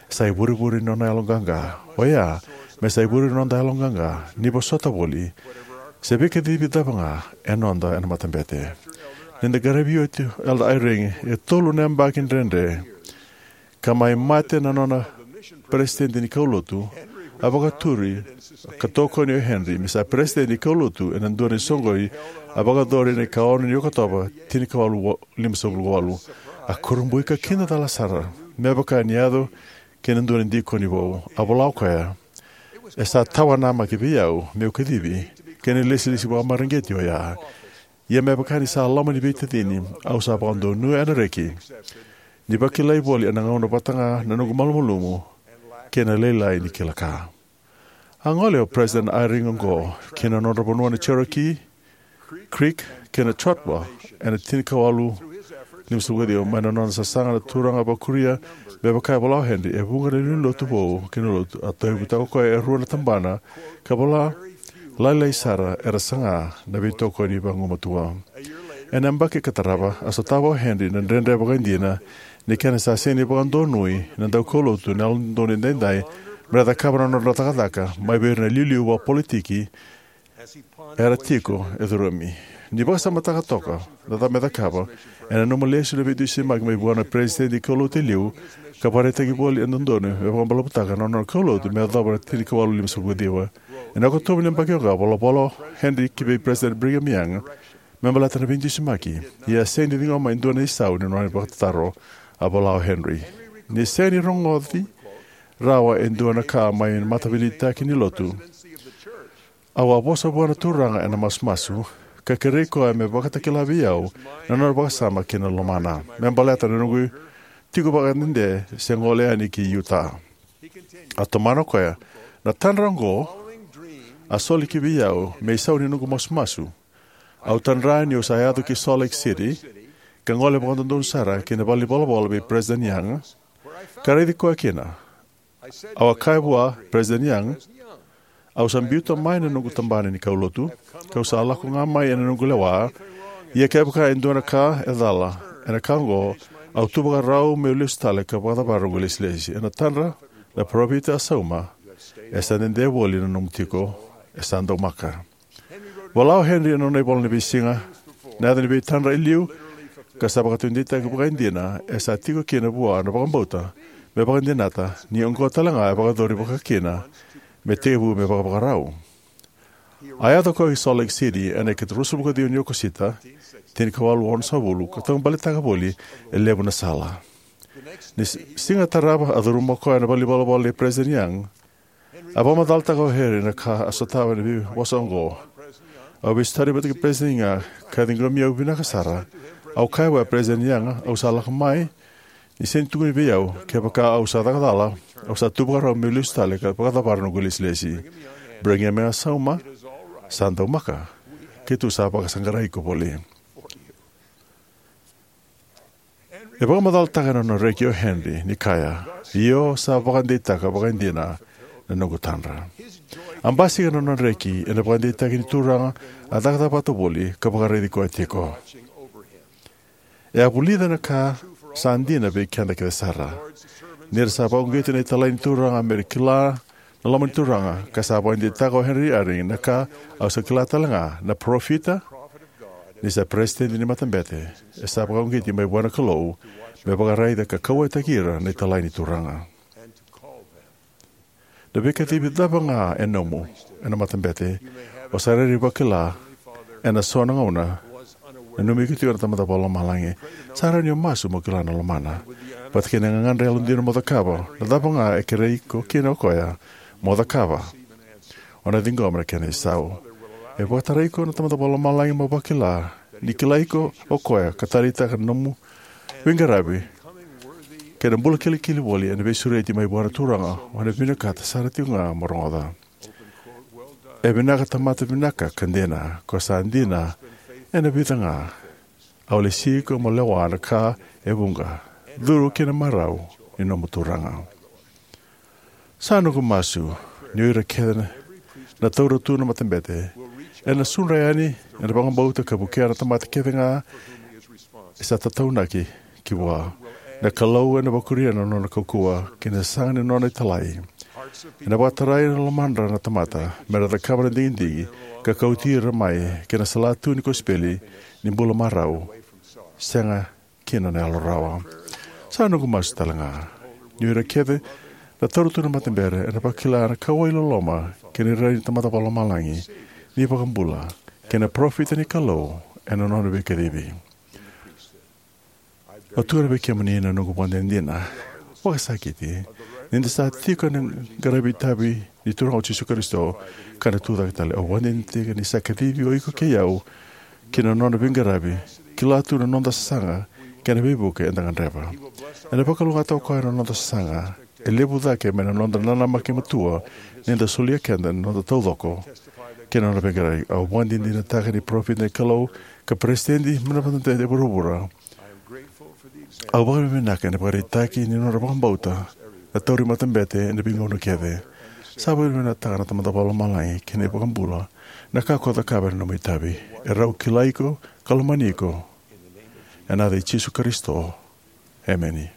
Sa ivurevure ni nona yaloqaqa, oya me sa ivurevure ni noda yaloqaqa ni vosota voli se veikacivi cava ga e noda ena matabete. Ni da qaravi oti Elder Eyring e tolu na yabaki dredre ka mai mate na nona peresitedi ni kaulotu, a vakaturi ka tokoni o Henry me sa peresitedi ni kaulotu ena dua na isoqoni a vakayacori ena ikaono ni Okotova, tinikawalu limasagavulu ka walu. A kurabui ka kidacala sara me vaka ni yaco kei na dua na dikoni vou. A vola o koya, "E sa tawanamaki vei au meu kacivi kei na ilesilesi vakamareqeti oya. Ia me vaka ni sa loma ni veitacini, au sa vakadonuya ena reki ni vakilai voli ena gauna vata ga na noqu malumalumu kei na lailai ni kila ka." A gole o Peresitedi Eyring oqo ki na nodra vanua na Cherokee Creek kei na Choctaw ena tinikawalu limasagavulu ka ciwa mai na nona sasaga na Turaga vakuria. Me vaka e vola o Henry, e vuqa na lewe ni lotu vou kei na lotu a tauyavutaka o koya e rua na tabana ka vola lailai sara era saga na veitokoni vagumatua. Ena yabaki ka tarava, a sotava o Henry na dredre vakaidina ni kena sa sega ni vakadonui na daukaulotu na Yalododonu Edaidai me ra cakava na nodra cakacaka mai vei ira na iliuliu vakapolitiki era tiko e curumi. Ni vakasamataka toka na cava me cakava, ena nomu lesu na veidusimaki mai vua na peresitedi ni kaulotu e liu, ka vakaraitaki voli e dodonu me vakabalavutaka na nona kaulotu me yacova na tinikawalu limasagavulu ka ciwa. Ena Okotova ni yabaki oqo, a volavola o Henry ki vei Peresitedi Brigham Young me baleta na veidusimaki. Ia a sega ni ciqoma e dua na isau ni nona vakatataro, a vola o Henry. Ni sega ni rogoci rawa e dua na ka mai na mataveiliutaki ni lotu, au a vosa vua na Turaga ena masumasu, ka kerei koya me vakatakila vei au na nona vakasama kei na lomana me baleta na noqu tiko vakadede se gole yani ki Utah. A tomana o koya, na tadra oqo a soli ki vei au me isau ni noqu masumasu. Au tadra niu sa yaco ki Salt Lake City, ka gole vakadodonu sara ki na valenivolavola vei Peresitedi Young, ka raici koya kina. Au a kaya vua, Peresitedi Young, au sa biuta mai na noqu tabana ni kaulotu, kau sa lako ga mai ena noqu lewa. Ia kevaka e dua na ka e cala ena ka oqo, au tu vakarau meu lesu tale ka vakacavara noqu ilesilesi. Ena tadra, na parofita a sauma, e sa dede voli na nomu tiko, e sa daumaka. Vola o Henry ena nona ivola ni veisiga, na yaca ni veitadra e liu, ka sa vakataudeitaki vakaidina, e sa tiko kina vua na vakabauta me vakadinata, ni oqo tale ga e vakayacori vakakina, me tekivu me vakavakarau. A yaco o koya ki Salt Lake City ena ikati ruasagavulu ka ciwa ni Okosita, tinikawalu onosagavulu, ka taubale taka voli e levu na sala. Ni s- siga tarava a curuma o koya na valenivolavola nei Peresitedi Young. A vakamacalataka o Henry na ka a sotava ena veivosa oqo. Au veisotari vata kei Peresitedi Young, ka ciqomi au vinaka sara. Au kaya vua, Peresitedi Young, au sa lako mai ni sega ni tukuni vei au, kevaka au sa caka cala, au sa tu vakarau meu lesu tale ka vakacavara noqu ilesilesi. Brigham Young a sauma, sa daumaka. Keitou sa vakasaqarai iko voli. E vakamacalataka na nona reki o Henry ni kaya, io, sa vakadeitaka vakaidina na noqu tadra. A basika na nona reki ena vakadeitaki ni Turaga a cakacaka vata voli ka vakaraici koya tiko. E a vulica na ka sa dina vei keda kece sara. Ni ra sa vakauqeti na italai ni Turaga me ra kila na loma ni Turaga, ka sa vakadeitaka o Henry Eyring na ka au sa kila tale ga, na parofita, ni sa peresitedi ni matabete, e sa vakauqeti mai vua na Kalou me vakaraica ka kauwaitaki ira na italai ni Turaga. Na veikacivi cava ga e nomu ena matabete, o sa rairai vakila ena so na gauna, nanumi iko tiko na Tamada Vakalomalagi. Sa rawa ni o masu mo kila na lomana. Vata kei na gagadre yalodina mo cakava, na cava ga e kerei iko kina o koya mo cakava, o na ciqoma na kena isau. E vakatarai iko na Tamada Vakalomalagi mo vakila ni kilai iko o koya ka taleitaka na nomu veiqaravi kei na bula kilikili voli ena veisureti mai vua na Turaga, o na vinakata sara tiko ga mo rogoca. E vinaka tamata vinaka ka dina, ko sa dina ena vica ga. Au lesi iko mo lewa na ka e vuqa, curu ki na marau ni nomu Turaga. Sa noqu masu ni o ira kece na, na taura tu na matabete ena sudra yani ena vakabauta ka vukea na tamata kece ga e sa tataunaki ki vua. Na Kalou ena vakuria na nona kaukauwa kei na sasaga ni nona italai. Ena vakatarai na lomadra na tamata me ra cakava na digidigi ka kauti ira mai ki na salatu ni kosipeli ni bula marau, sega kina na yalo rawa. Sa noqu masu tale ga ni o ira kece na taura tu na matabete ena vakila na kauwai, loloma kei na irairai ni Tamada Vakalomalagi, na iVakabula, kei na parofita ni Kalou ena nona veikacivi. Au tukuna vei kemuni na noqu vakadinadina vakasakiti ni da sa tiko ena qaravi itavi ni Turaga o Jisu Karisito ka na tucake tale. Au vakadinadinataka ni sa kacivi o iko kei au ki na nona veiqaravi, kila tu na noda sasaga kei na veivuke eda gadreva. Ena vakalougatataka o koya na noda sasaga e levu cake mai na noda nanamaki matua ni da solia keda na noda taucoko kei na nona veiqaravi. Au vakadinadinataka ni parofita ni Kalou ka peresitedi mai na matabete e vuravura. Au vakavinavinaka ena ivakaraitaki ni nodra vakabauta na tauri matabete ena veigauna kece. Sa vakavinavinakataka na Tamada Vakalomalagi kei na iVakabula na ka ko cakava ena nomu itavi. Erau kilai iko ka lomani iko. Ena yaca i Jisu Karisito. Emeni.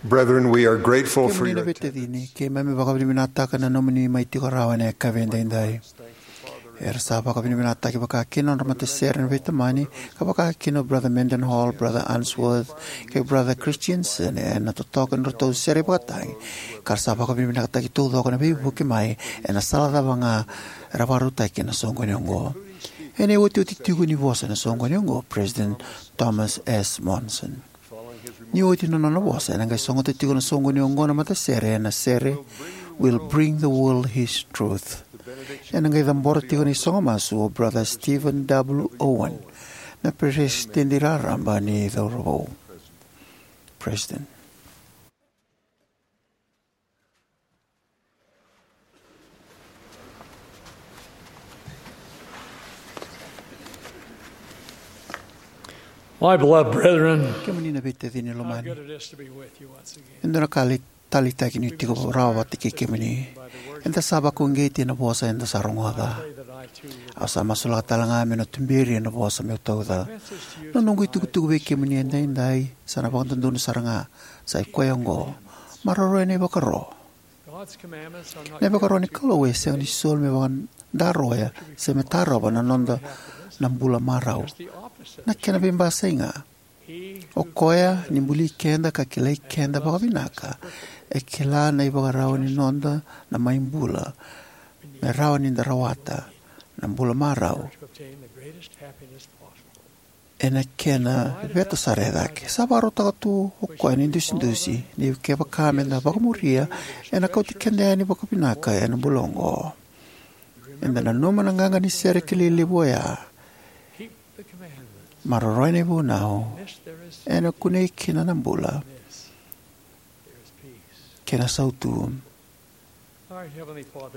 Brethren, we are grateful for Kemuni na your veitacini, keimami vakavinavinakataka na nomuni mai tiko rawa ena yakavi edaidai. Era sa vakavinavinakataki vakakina na nodra matasere na veitamani, ka vakakina o Brother Mendenhall, Brother Unsworth, kei Brother Christensen, ena totoka ni nodratou sere vakatagi, ka ra sa vakavinavinakataki taucoko na veivuke mai ena sala cava ga era vakarautaki ena soqoni oqo. Ena iotioti tiko ni vosa ena soqoni oqo, President Thomas S. Monson. Ni oti na nona vosa, ena qai sogota tiko na soqoni oqo na matasere ena sere Will Bring the World His Truth. Ena qai cabora tiko na isogo masu o Brother Stephen W. Owen, na peresitedi raraba ni cauravou. President. My beloved brethren, kemuni na veitacini lomani, how good it is to be with you once again. E dua na ka lai taleitaki niu tiko rawa vata kei kemuni. Eda sa vakauqeti ena vosa eda sa rogoca. Au sa masulaka tale ga meu na tuberi ena vosa meu tauca. Na noqu itukutuku vei kemuni edaidai sa na vakadodonu sara ga, sa i koya oqo: maroroya na ivakaro. Na ivakaro ni Kalou e sega ni soli me vakadaroya se me tarova na noda na bula marau. Na kena veibasai ga, o koya ni buli keda ka kilai keda vakavinaka e kila na ivakarau ni noda na mai bula, me rawa ni da rawata na bula marau ena kena veta sara e cake. Sa vakarautaka tu o koya na idusidusi ni kevaka meda vakamuria, ena kauti keda yani vakavinaka ena bula oqo. Eda nanuma na qaqa ni sere kilai levu oya: maroroya na ivunau, ena kunei kina na bula kei na sautu.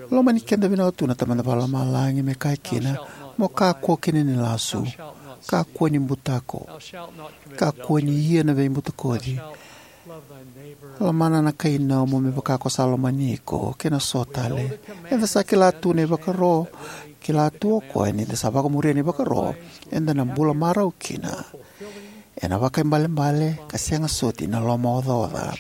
Lomani keda vinaka tu na Tamada Vakalomalagi me kaya kina: "Mo kakua kina ni lasu, kakua ni butako, kakua ni ia na veibutakoci, lomana na kainomu me vaka ko sa lomani iko," kei na so tale. Eda sa kila tu na ivakaro, kila tu o koya ni da sa vakamuria na ivakaro, eda na bula marau kina ena vakaibalebale ka sega soti na lomaocaoca.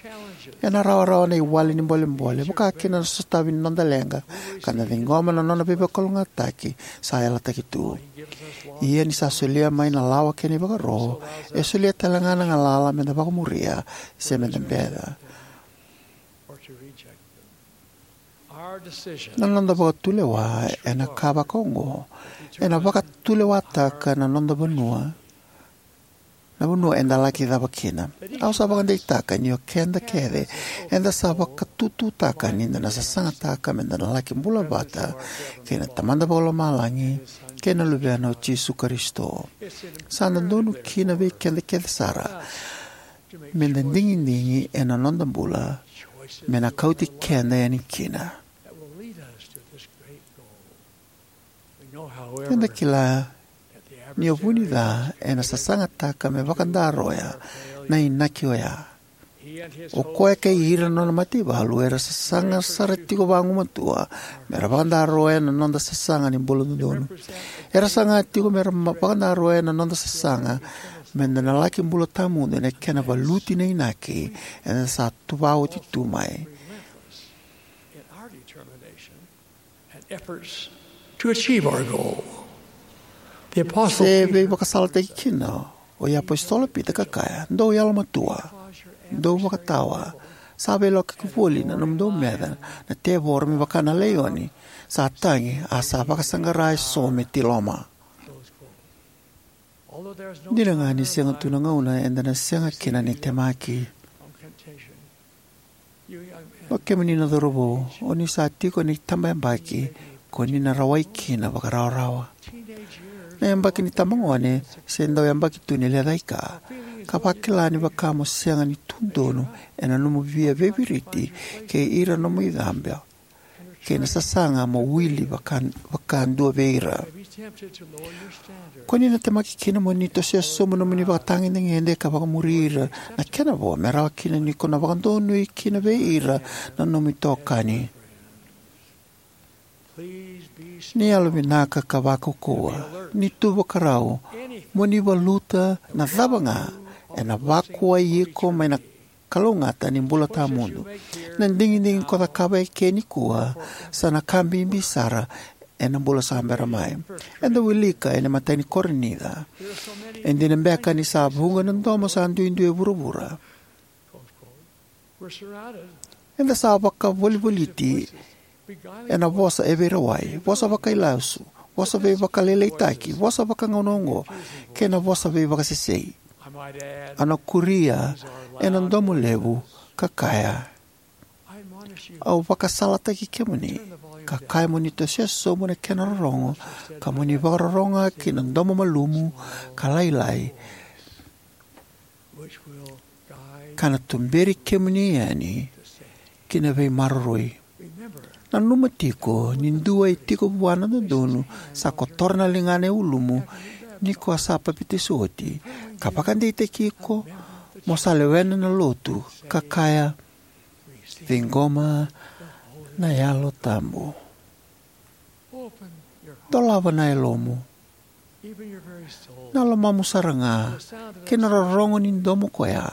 Ena rawarawa na iwali ni bolebole, vaka kina na sotavi ni noda leqa, ka da ciqoma na nona veivakalougatataki sa yalataki tu. Ia ni sa solia mai na lawa kei na ivakaro, e solia tale ga na galala meda vakamuria se meda beca. Na noda vakatulewa ena ka vaka oqo ena vakatulewataka na noda vanua, na vanua eda laki cava kina. Au sa vakadeitaka ni o keda kece eda sa vakatututaka ni da na sasagataka meda na laki bula vata kei na Tamada Vakalomalagi kei na Luvena o Jisu Karisito. Sa dodonu kina vei keda kece sara meda digidigi ena noda bula me na kauti keda yani kina. Eda kila ni o vunica ena sasagataka me vakadaroya na inaki oya. O koya kei ira na nona mataivalu era sasaga sara tiko vagumatua mera vakadaroya na noda sasaga ni bula dodonu. Era saga tiko mera ma-, vakadaroya na noda sasaga meda na laki bula tawamudu ena kena valuti na inaki eda sa tuva oti tu mai. Se veivakasalataki kina o iApositolo Pita ka kaya: "Dou yalomatua, dou vakatawa, sa veilakoyaki voli na nomudou meca na tevoro me vaka na laioni, sa tagi, a sa vakasaqara eso me tiloma." Dina ga ni sega tu na gauna eda na sega kina ni temaki. O kemuni na cauravou, o ni sa tiko ena itabayabaki ko ni na rawai kina vakarawarawa. Na yabaki ni tabagone se dau yabaki tu ni lecaika, ka vakila ni vaka mo sega ni tu donu ena nomu via veiviriti kei ira nomu icabe kei na sasaga mo wili vaka, vakadua vei ira. Ko ni na temaki kina mo ni tosoya sobu nomuni vakatagedegede ka vakamuri ira na kena vo me rawa kina ni ko na vakadonui kina vei ira na nomu itokani. Ni yalovinaka ka vakaukauwa, ni tu vakarau mo ni valuta na cava ga ena vakuwai iko mai na kalougata ni bula tawamudu. Na digidigi ko cakava eke nikua sa na ka bibi sara ena bula sa bera mai. Eda wilika ena imatai ni Korinica, e dina beka ni sa vuqa na domo sa duidui e vuravura. Eda sa vakavolivoliti ena vosa e veirawai, vosa vakailasu, vosa veivakalailaitaki, vosa vakagauna oqo, kei na vosa veivakasesei. Au na kuria ena domo levu ka kaya, au vakasalataki kemuni, ka kaya mo ni tosoya sobu na kena rorogo, ka mo ni vakarorogo ga ki na domo malumu ka lailai, ka na tuberi kemuni yani ki na veimaroroi. Nanuma tiko ni dua e tiko vua na dodonu sa kotora na ligana e ulumu ni ko a sa papitaiso oti, ka vakadeitaki iko mo sa lewena na lotu, ka kaya, ciqoma na Yalo Tabu. Dolava na yalomu, na lomamu sara ga, ki na rorogo ni domo koya,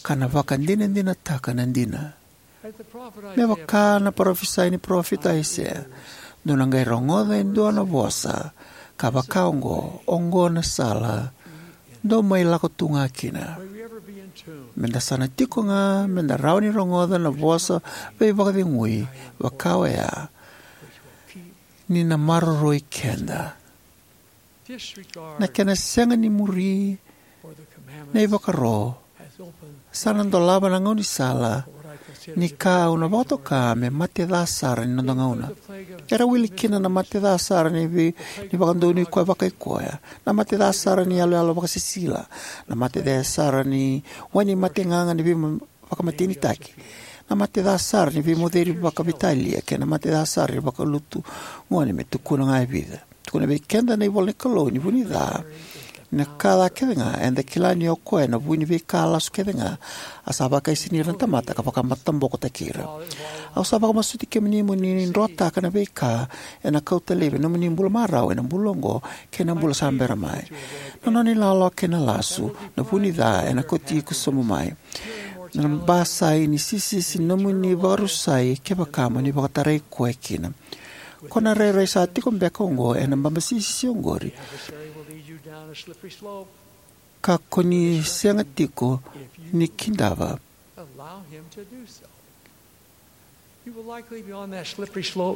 ka na vakadinadinataka na dina. Me vaka na parofisai ni parofita Aisea, dou na qai rogoca e dua na vosa ka vaka oqo, oqo na sala, dou mai lako tu ga kina. Meda sa na tiko ga meda rawa ni rogoca na vosa veivakacegui vaka oya, ni na maroroi keda. Na kena sega ni muri na ivakaro sa na dolava na gaunisala ni ka au na vakatoka me mate ca sara ni noda gauna. Era wili kina na mate ca sara ni vei, ni vakadonui koya vakaikoya, na mate ca sara ni yaloyalo vakasisila, na mate ca sara ni wai ni mategaga ni vei vakamatenitaki, na mate ca sara ni veimoceri vakaveitalia, kei na mate ca sara ni vakalutu gone, me tukuna ga e vica. Tukuna vei keda na ivola ni Kalou ni vu ni ca, na ka ca kece ga eda kila ni o koya na vu ni veika lasu kece ga, a sa vakaisini ira na tamata ka vakamatabokotaki ira. Au sa vakamasuti kemuni mo ni drotaka na veika ena kauta laivi na nomuni bula marau ena bula oqo kei na bula sa bera mai. Na nona ilawalawa kei na lasu, na vu ni ca ena kauti iko sobu mai. Na basai ni sisisi nomuni vakarusai kevaka mo ni vakatarai koya kina. Ko na rairai sa tiko beka oqo ena babasisisi oqori, ka ko ni sega tiko ni kidava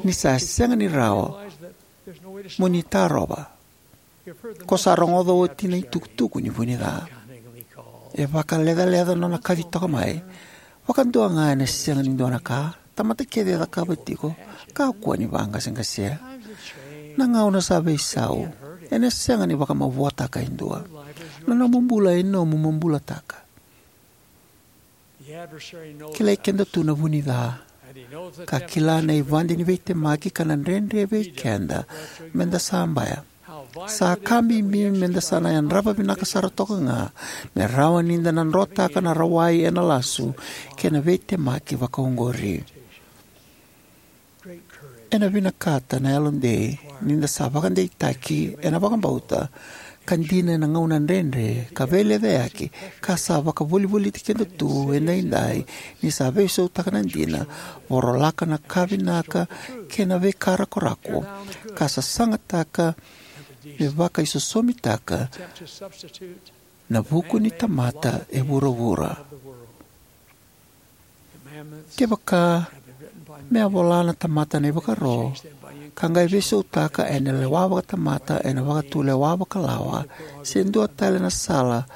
ni sa sega ni rawa mo ni tarova. Ko sa rogoca oti na itukutuku ni vu ni ca. E vakalecaleca nona kaci toka mai. Vakadua ga ena sega ni dua na ka. Tamata kece e cakava tiko, kakua ni vaqaseqasea. Na gauna sa veisau, ena sega ni vakamavoataka e dua. Na nomu bula e nomu mo bulataka. Kilai keda tu na vu ni ca, ka kila na ivadi ni veitemaki ka na dredre vei keda meda sabaya. Sa ka bibi meda sa na yadrava vinaka sara toka ga me rawa nida na drotaka na rawai ena lasu kei na veitemaki vakaoqori. Ena vinakata na yalodei nida sa vakadeitaki ena vakabauta ka dina ena gauna dredre ka veilecayaki, ka sa vakavolivoliti keda tu edaidai ni sa veisautaka na dina, vorolaka na ka vinaka kei na veika rakorako, ka sasagataka me vakaisosomitaka na vuku ni tamata e vuravura. Kevaka me a vola na tamata na ivakaro, ka qai veisautaka ena lewa vakatamata ena vakatulewa vakalawa, se dua tale na sala,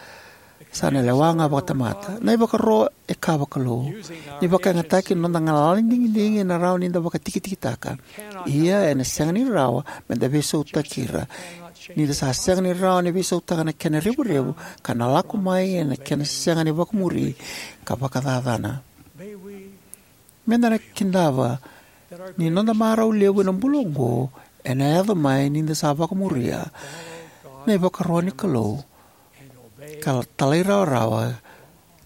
sa na lewa ga vakatamata. Na ivakaro e ka vakalou. Ni vakayagataki na noda galala ni digidigi, ena rawa nida vakatikitikitaka. Ia ena sega ni rawa meda veisautaki ira. Nida sa sega ni rawa ni veisautaka na kena revurevu, ka na lako mai ena kena sega ni vakamuri ka vakacacana. Meda na kidava ni noda marau levu ena bula oqo ena yaco mai nida sa vakamuria na ivakaro ni Kalou ka talairawarawa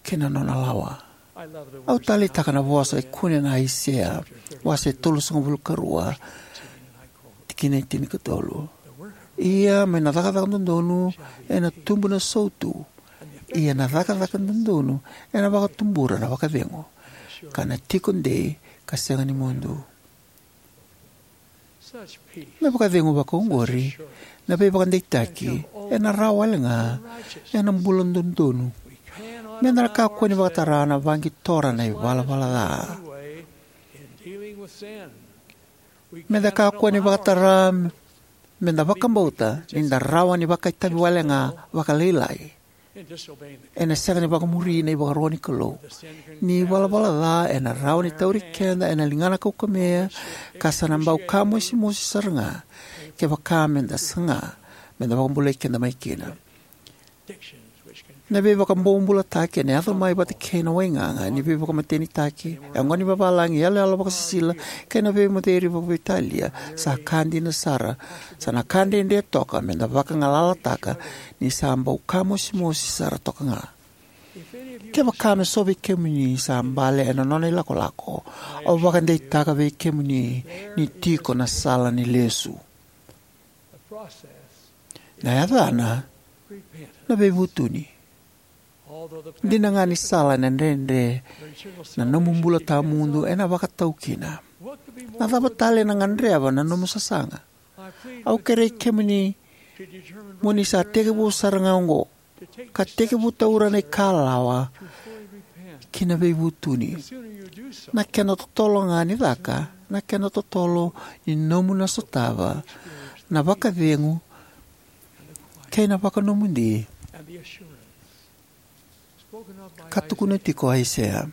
ki na nona lawa. Au taleitaka na vosa e kune ena Aisea, wase tolusagavulu ka rua, tikina e tinikatolu. Ia mai na cakacaka dodonu ena tubu na sautu, Ia na cakacaka dodonu ena vakatubura na vakacegu, ka na tiko dei ka sega ni mudu. Na vakacegu vakaoqori, na veivakadeitaki, ena rawa wale ga ena bula dodonu. Meda na kakua ni vakatara na vaqitora na ivalavala ca. Meda kakua ni vakatara meda vakabauta ni da rawa ni vakaitavi wale ga vakalailai ena sega ni vakamuri na ivakaro ni Kalou. Ni ivalavala ca ena rawa ni tauri keda ena ligana kaukamea, ka sa na bau ka mosimosi sara ga kevaka meda saga meda vakabulai keda mai kina. Na veivakabobulataki ena yaco mai vata kei na waigaga ni veivakamatenitaki, yaqona ni vavalagi, iyaloyalo vakasisila, kei na veimoceri vakaveitalia sa ka dina sara. Sa na ka dredre toka meda vakagalalataka ni sa bau ka mosimosi sara toka ga. Kevaka me so vei kemuni sa bale ena nona ilakolako, au vakadeitaka vei kemuni ni tiko na sala ni lesu. Na yacana na veivutuni. Dina ga ni sala ena dredre, na nomu bula tawamudu ena vakatau kina. Na cava tale ena gadreva na nomu sasaga? Au kerei kemuni mo ni sa tekivu sara ga oqo, ka tekivu taura na ikalawa ki na veivutuni. Na kena totolo ga ni caka, na kena totolo ni nomu na sotava na vakacegu kei na vakanomodi ka tukuna tiko o Aisea.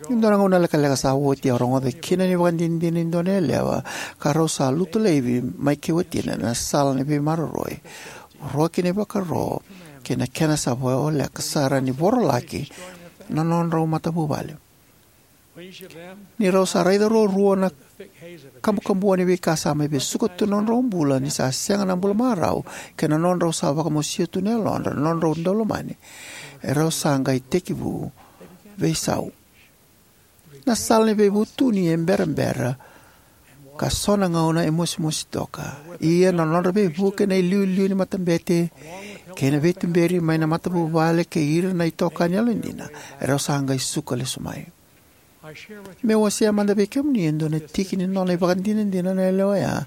Ni dua na gauna lekaleka sa oti, au rogoca kina na ivakadinadina ni dua na yalewa, ka rau sa lutu laivi mai kei watina ena sala ni veimaroroi, voroki na ivakaro kei na kena sa voleka sara ni vorolaki na nodrau matavuvale. Ni rau sa raica ruarua na kabukabua ni veika sa mai vesuka tu na nodrau bula, ni sa sega na bula marau, kei na nodrau sa vakamosia tu na yalodra na nodrau daulomani, e rau sa qai tekivu veisau. Na sala ni veivutuni e berabera, ka so na gauna e mosimosi toka. Ia na nodra veivuke na iliuliu ni matabete kei na veituberi mai na matavuvale kei ira na itokani yalodina, e rau sa qai suka lesu mai. Meu wasea mada vei kemuni e dua na tiki ni nona ivakadinadina na yalewa oya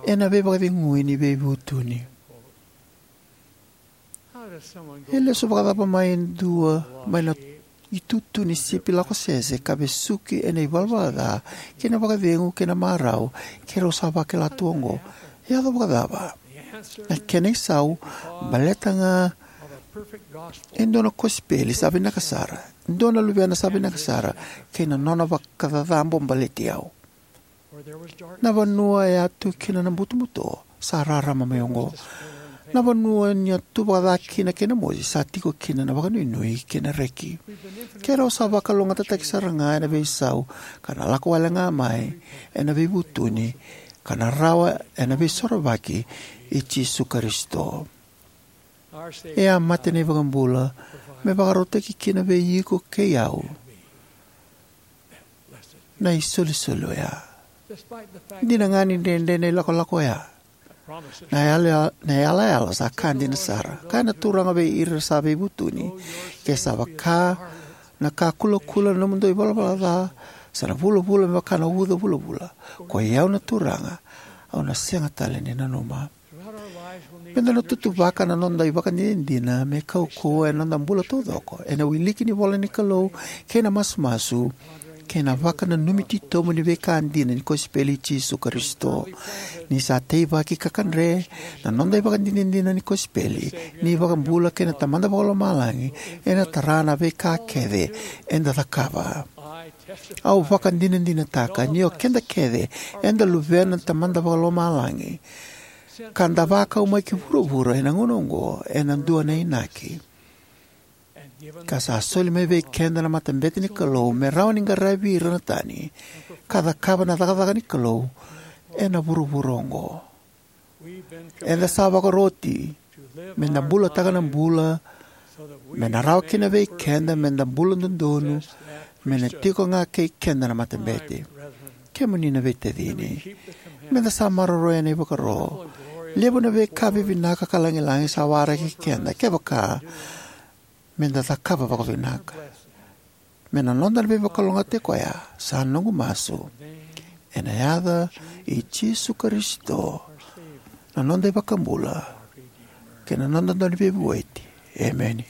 ena veivakacegui ni veivutuni. E lesu vakacava mai e dua mai na itutu ni sipi lakosese ka vesuki ena ivalavala ca kei na vakacegu kei na marau, kei rau sa vakila tu oqo? E yaco vakacava? Na kena isau, baleta ga e dua na kosipeli sa vinaka sara, dua na luvena sa vinaka sara, kei na nona vakacacabo baleti au. Na vanua e a tu kina na butobuto sa rarama mai oqo. Na vanua ni a tu vakaca kina kei na mosi sa tiko kina na vakanuinui kei na reki. Keirau sa vakalougatataki sara ga ena veisau, ka na lako wale ga mai ena veivutuni, ka na rawa ena veisorovaki i Jisu Karisito. E a mate na iVakabula me vakarautaki kina vei iko kei au na isolisoli oya. Dina ga ni dredre na ilakolako oya, na yala, na yalayala sa ka dina sara. Kaya na Turaga vei ira sa veivutuni: Ke sa vaka na ka kulakula na nomudou ivalavala ca, sa na vulavula me vaka na uca vulavula. Koi au na Turaga, au na sega tale ni nanuma. Meda na tutuvaka na noda ivakadinadina me kaukauwa ena noda bula taucoko ena wiliki ni ivola ni Kalou kei na masumasu, kei na vakananumi titobu ni veika dina ni kosipeli i Jisu Karisito. Ni sa teivaki ka kadre na noda ivakadinadina ni kosipeli, ni iVakabula kei na Tamada Vakalomalagi ena tara na veika kece eda cakava. Au vakadinadinataka ni o keda kece eda luvena na Tamada Vakalomalagi, ka da vakau mai ki vuravura ena gauna oqo ena dua na inaki, ka sa soli mai vei keda na matabete ni Kalou me rawa ni qaravi ira na tani ka cakava na cakacaka ni Kalou ena vuravura oqo. Eda sa vakaroti meda bulataka na bula me na rawa kina vei keda meda bula dodonu, me na tiko ga kei keda na matabete. Kemuni na veitacini, meda sa maroroya na ivakaro. Levu na veika vivinaka ka lagilagi sa waraki keda, kevaka Me da cakava vakavinaka. Me na noda na veivakalougatataki koya, sa noqu masu. Ena yaca i Jisu Karisito, na noda iVakabula, kei na noda Dauniveivueti. Emeni.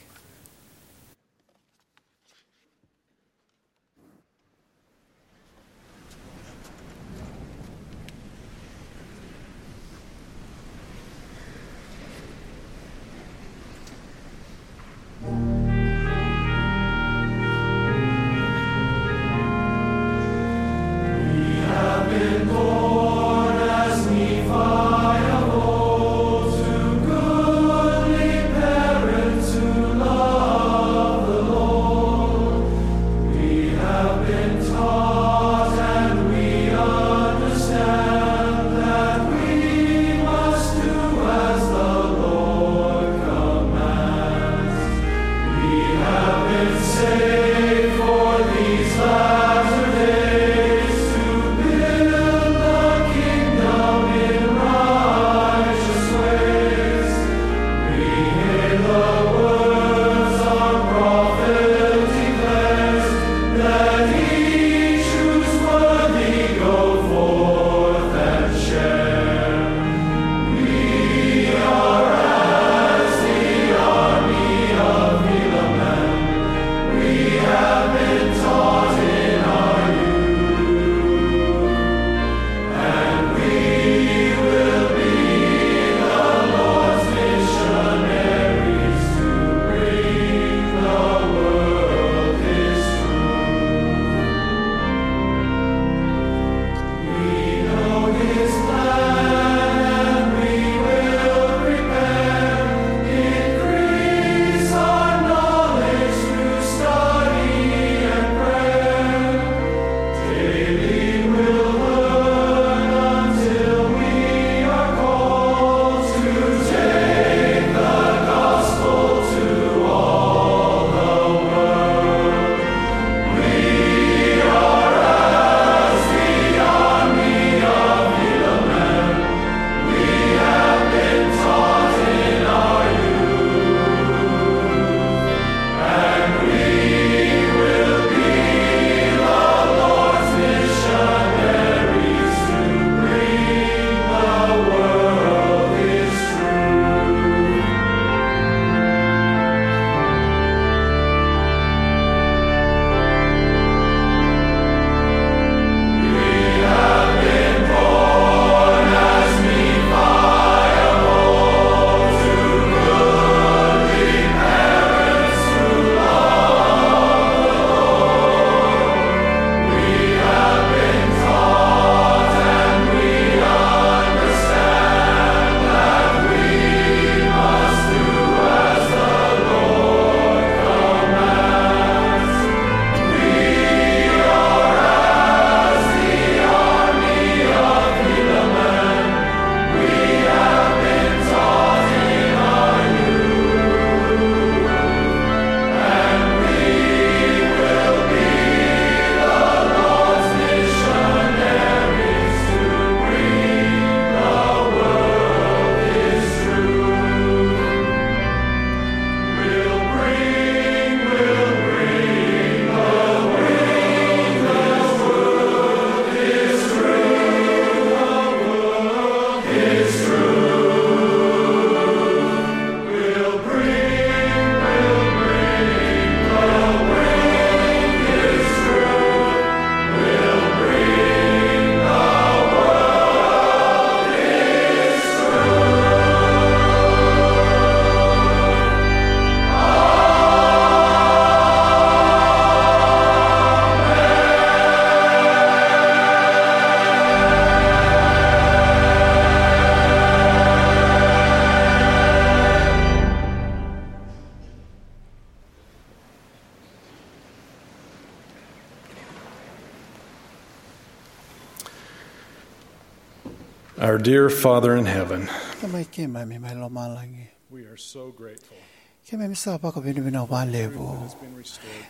Our dear Father in heaven, Tamai keimami mai lomalagi, we are so grateful. Keimami sa vakavinavinaka vakalevu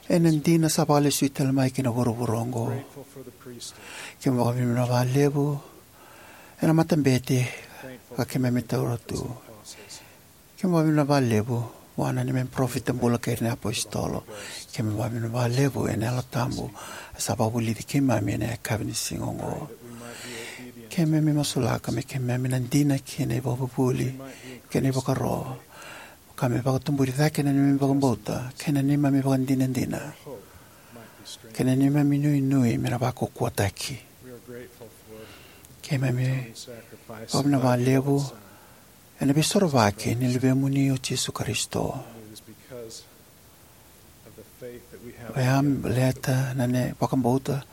ena dina sa vakalesui tale mai ki na vuravura oqo. Keimami vakavinavinaka vakalevu ena matabete ka keimami taura tu. Keimami vakavinavinaka vakalevu Vua na neimami parofita bula kei ira na iapositolo. Keimami vakavinavinaka vakalevu ena Yalo Tabu sa vakavulici keimami ena yakavi ni siga oqo. Keimami masulaka me keimami na dina ki na ivakavuvuli kei na ivakaro, ka me vakatuburi cake na neimami vakabauta kei na neimami vakadinadina kei na neimami nuinui me na vakaukauwataki. Keimami vakavinavinaka vakalevu ena veisorovaki ni Luvemuni o Jisu Karisito. Oya baleta na neimami vakabauta,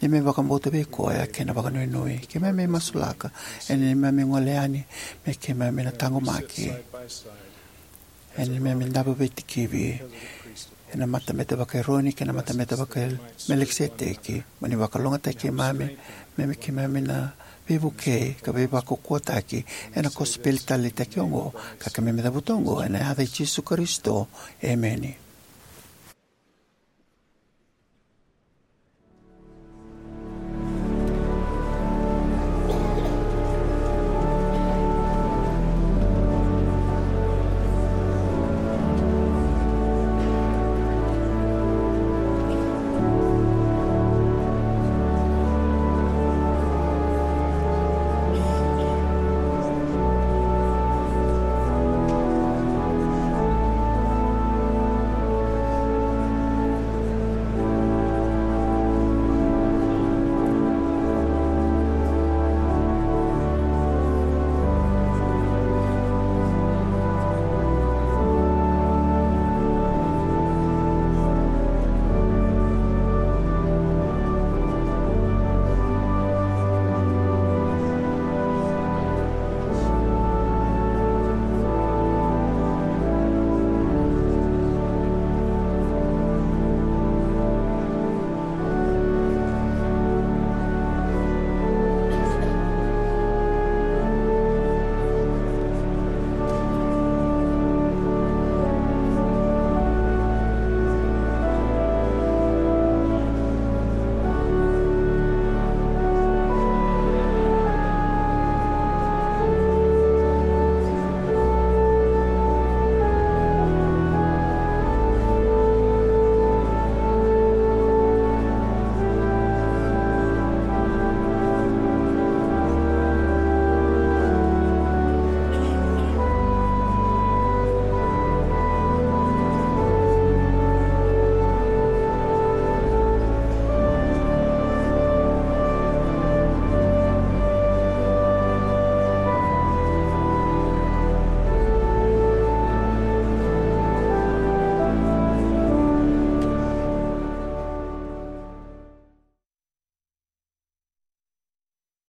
neimami vakabauta vei Koya kei na vakanuinui. Keimami masulaka ena neimami gole yani me keimami na taqomaki ena neimami davo veitikivi ena matabete vaka-Eroni kei na matabete vaka-Melikiseteki, mo ni vakalougatataki keimami me keimami na veivukei ka veivakaukauwataki ena kosipeli taleitaki oqo, ka keimami cavuta oqo ena yaca i Jisu Karisito, emeni.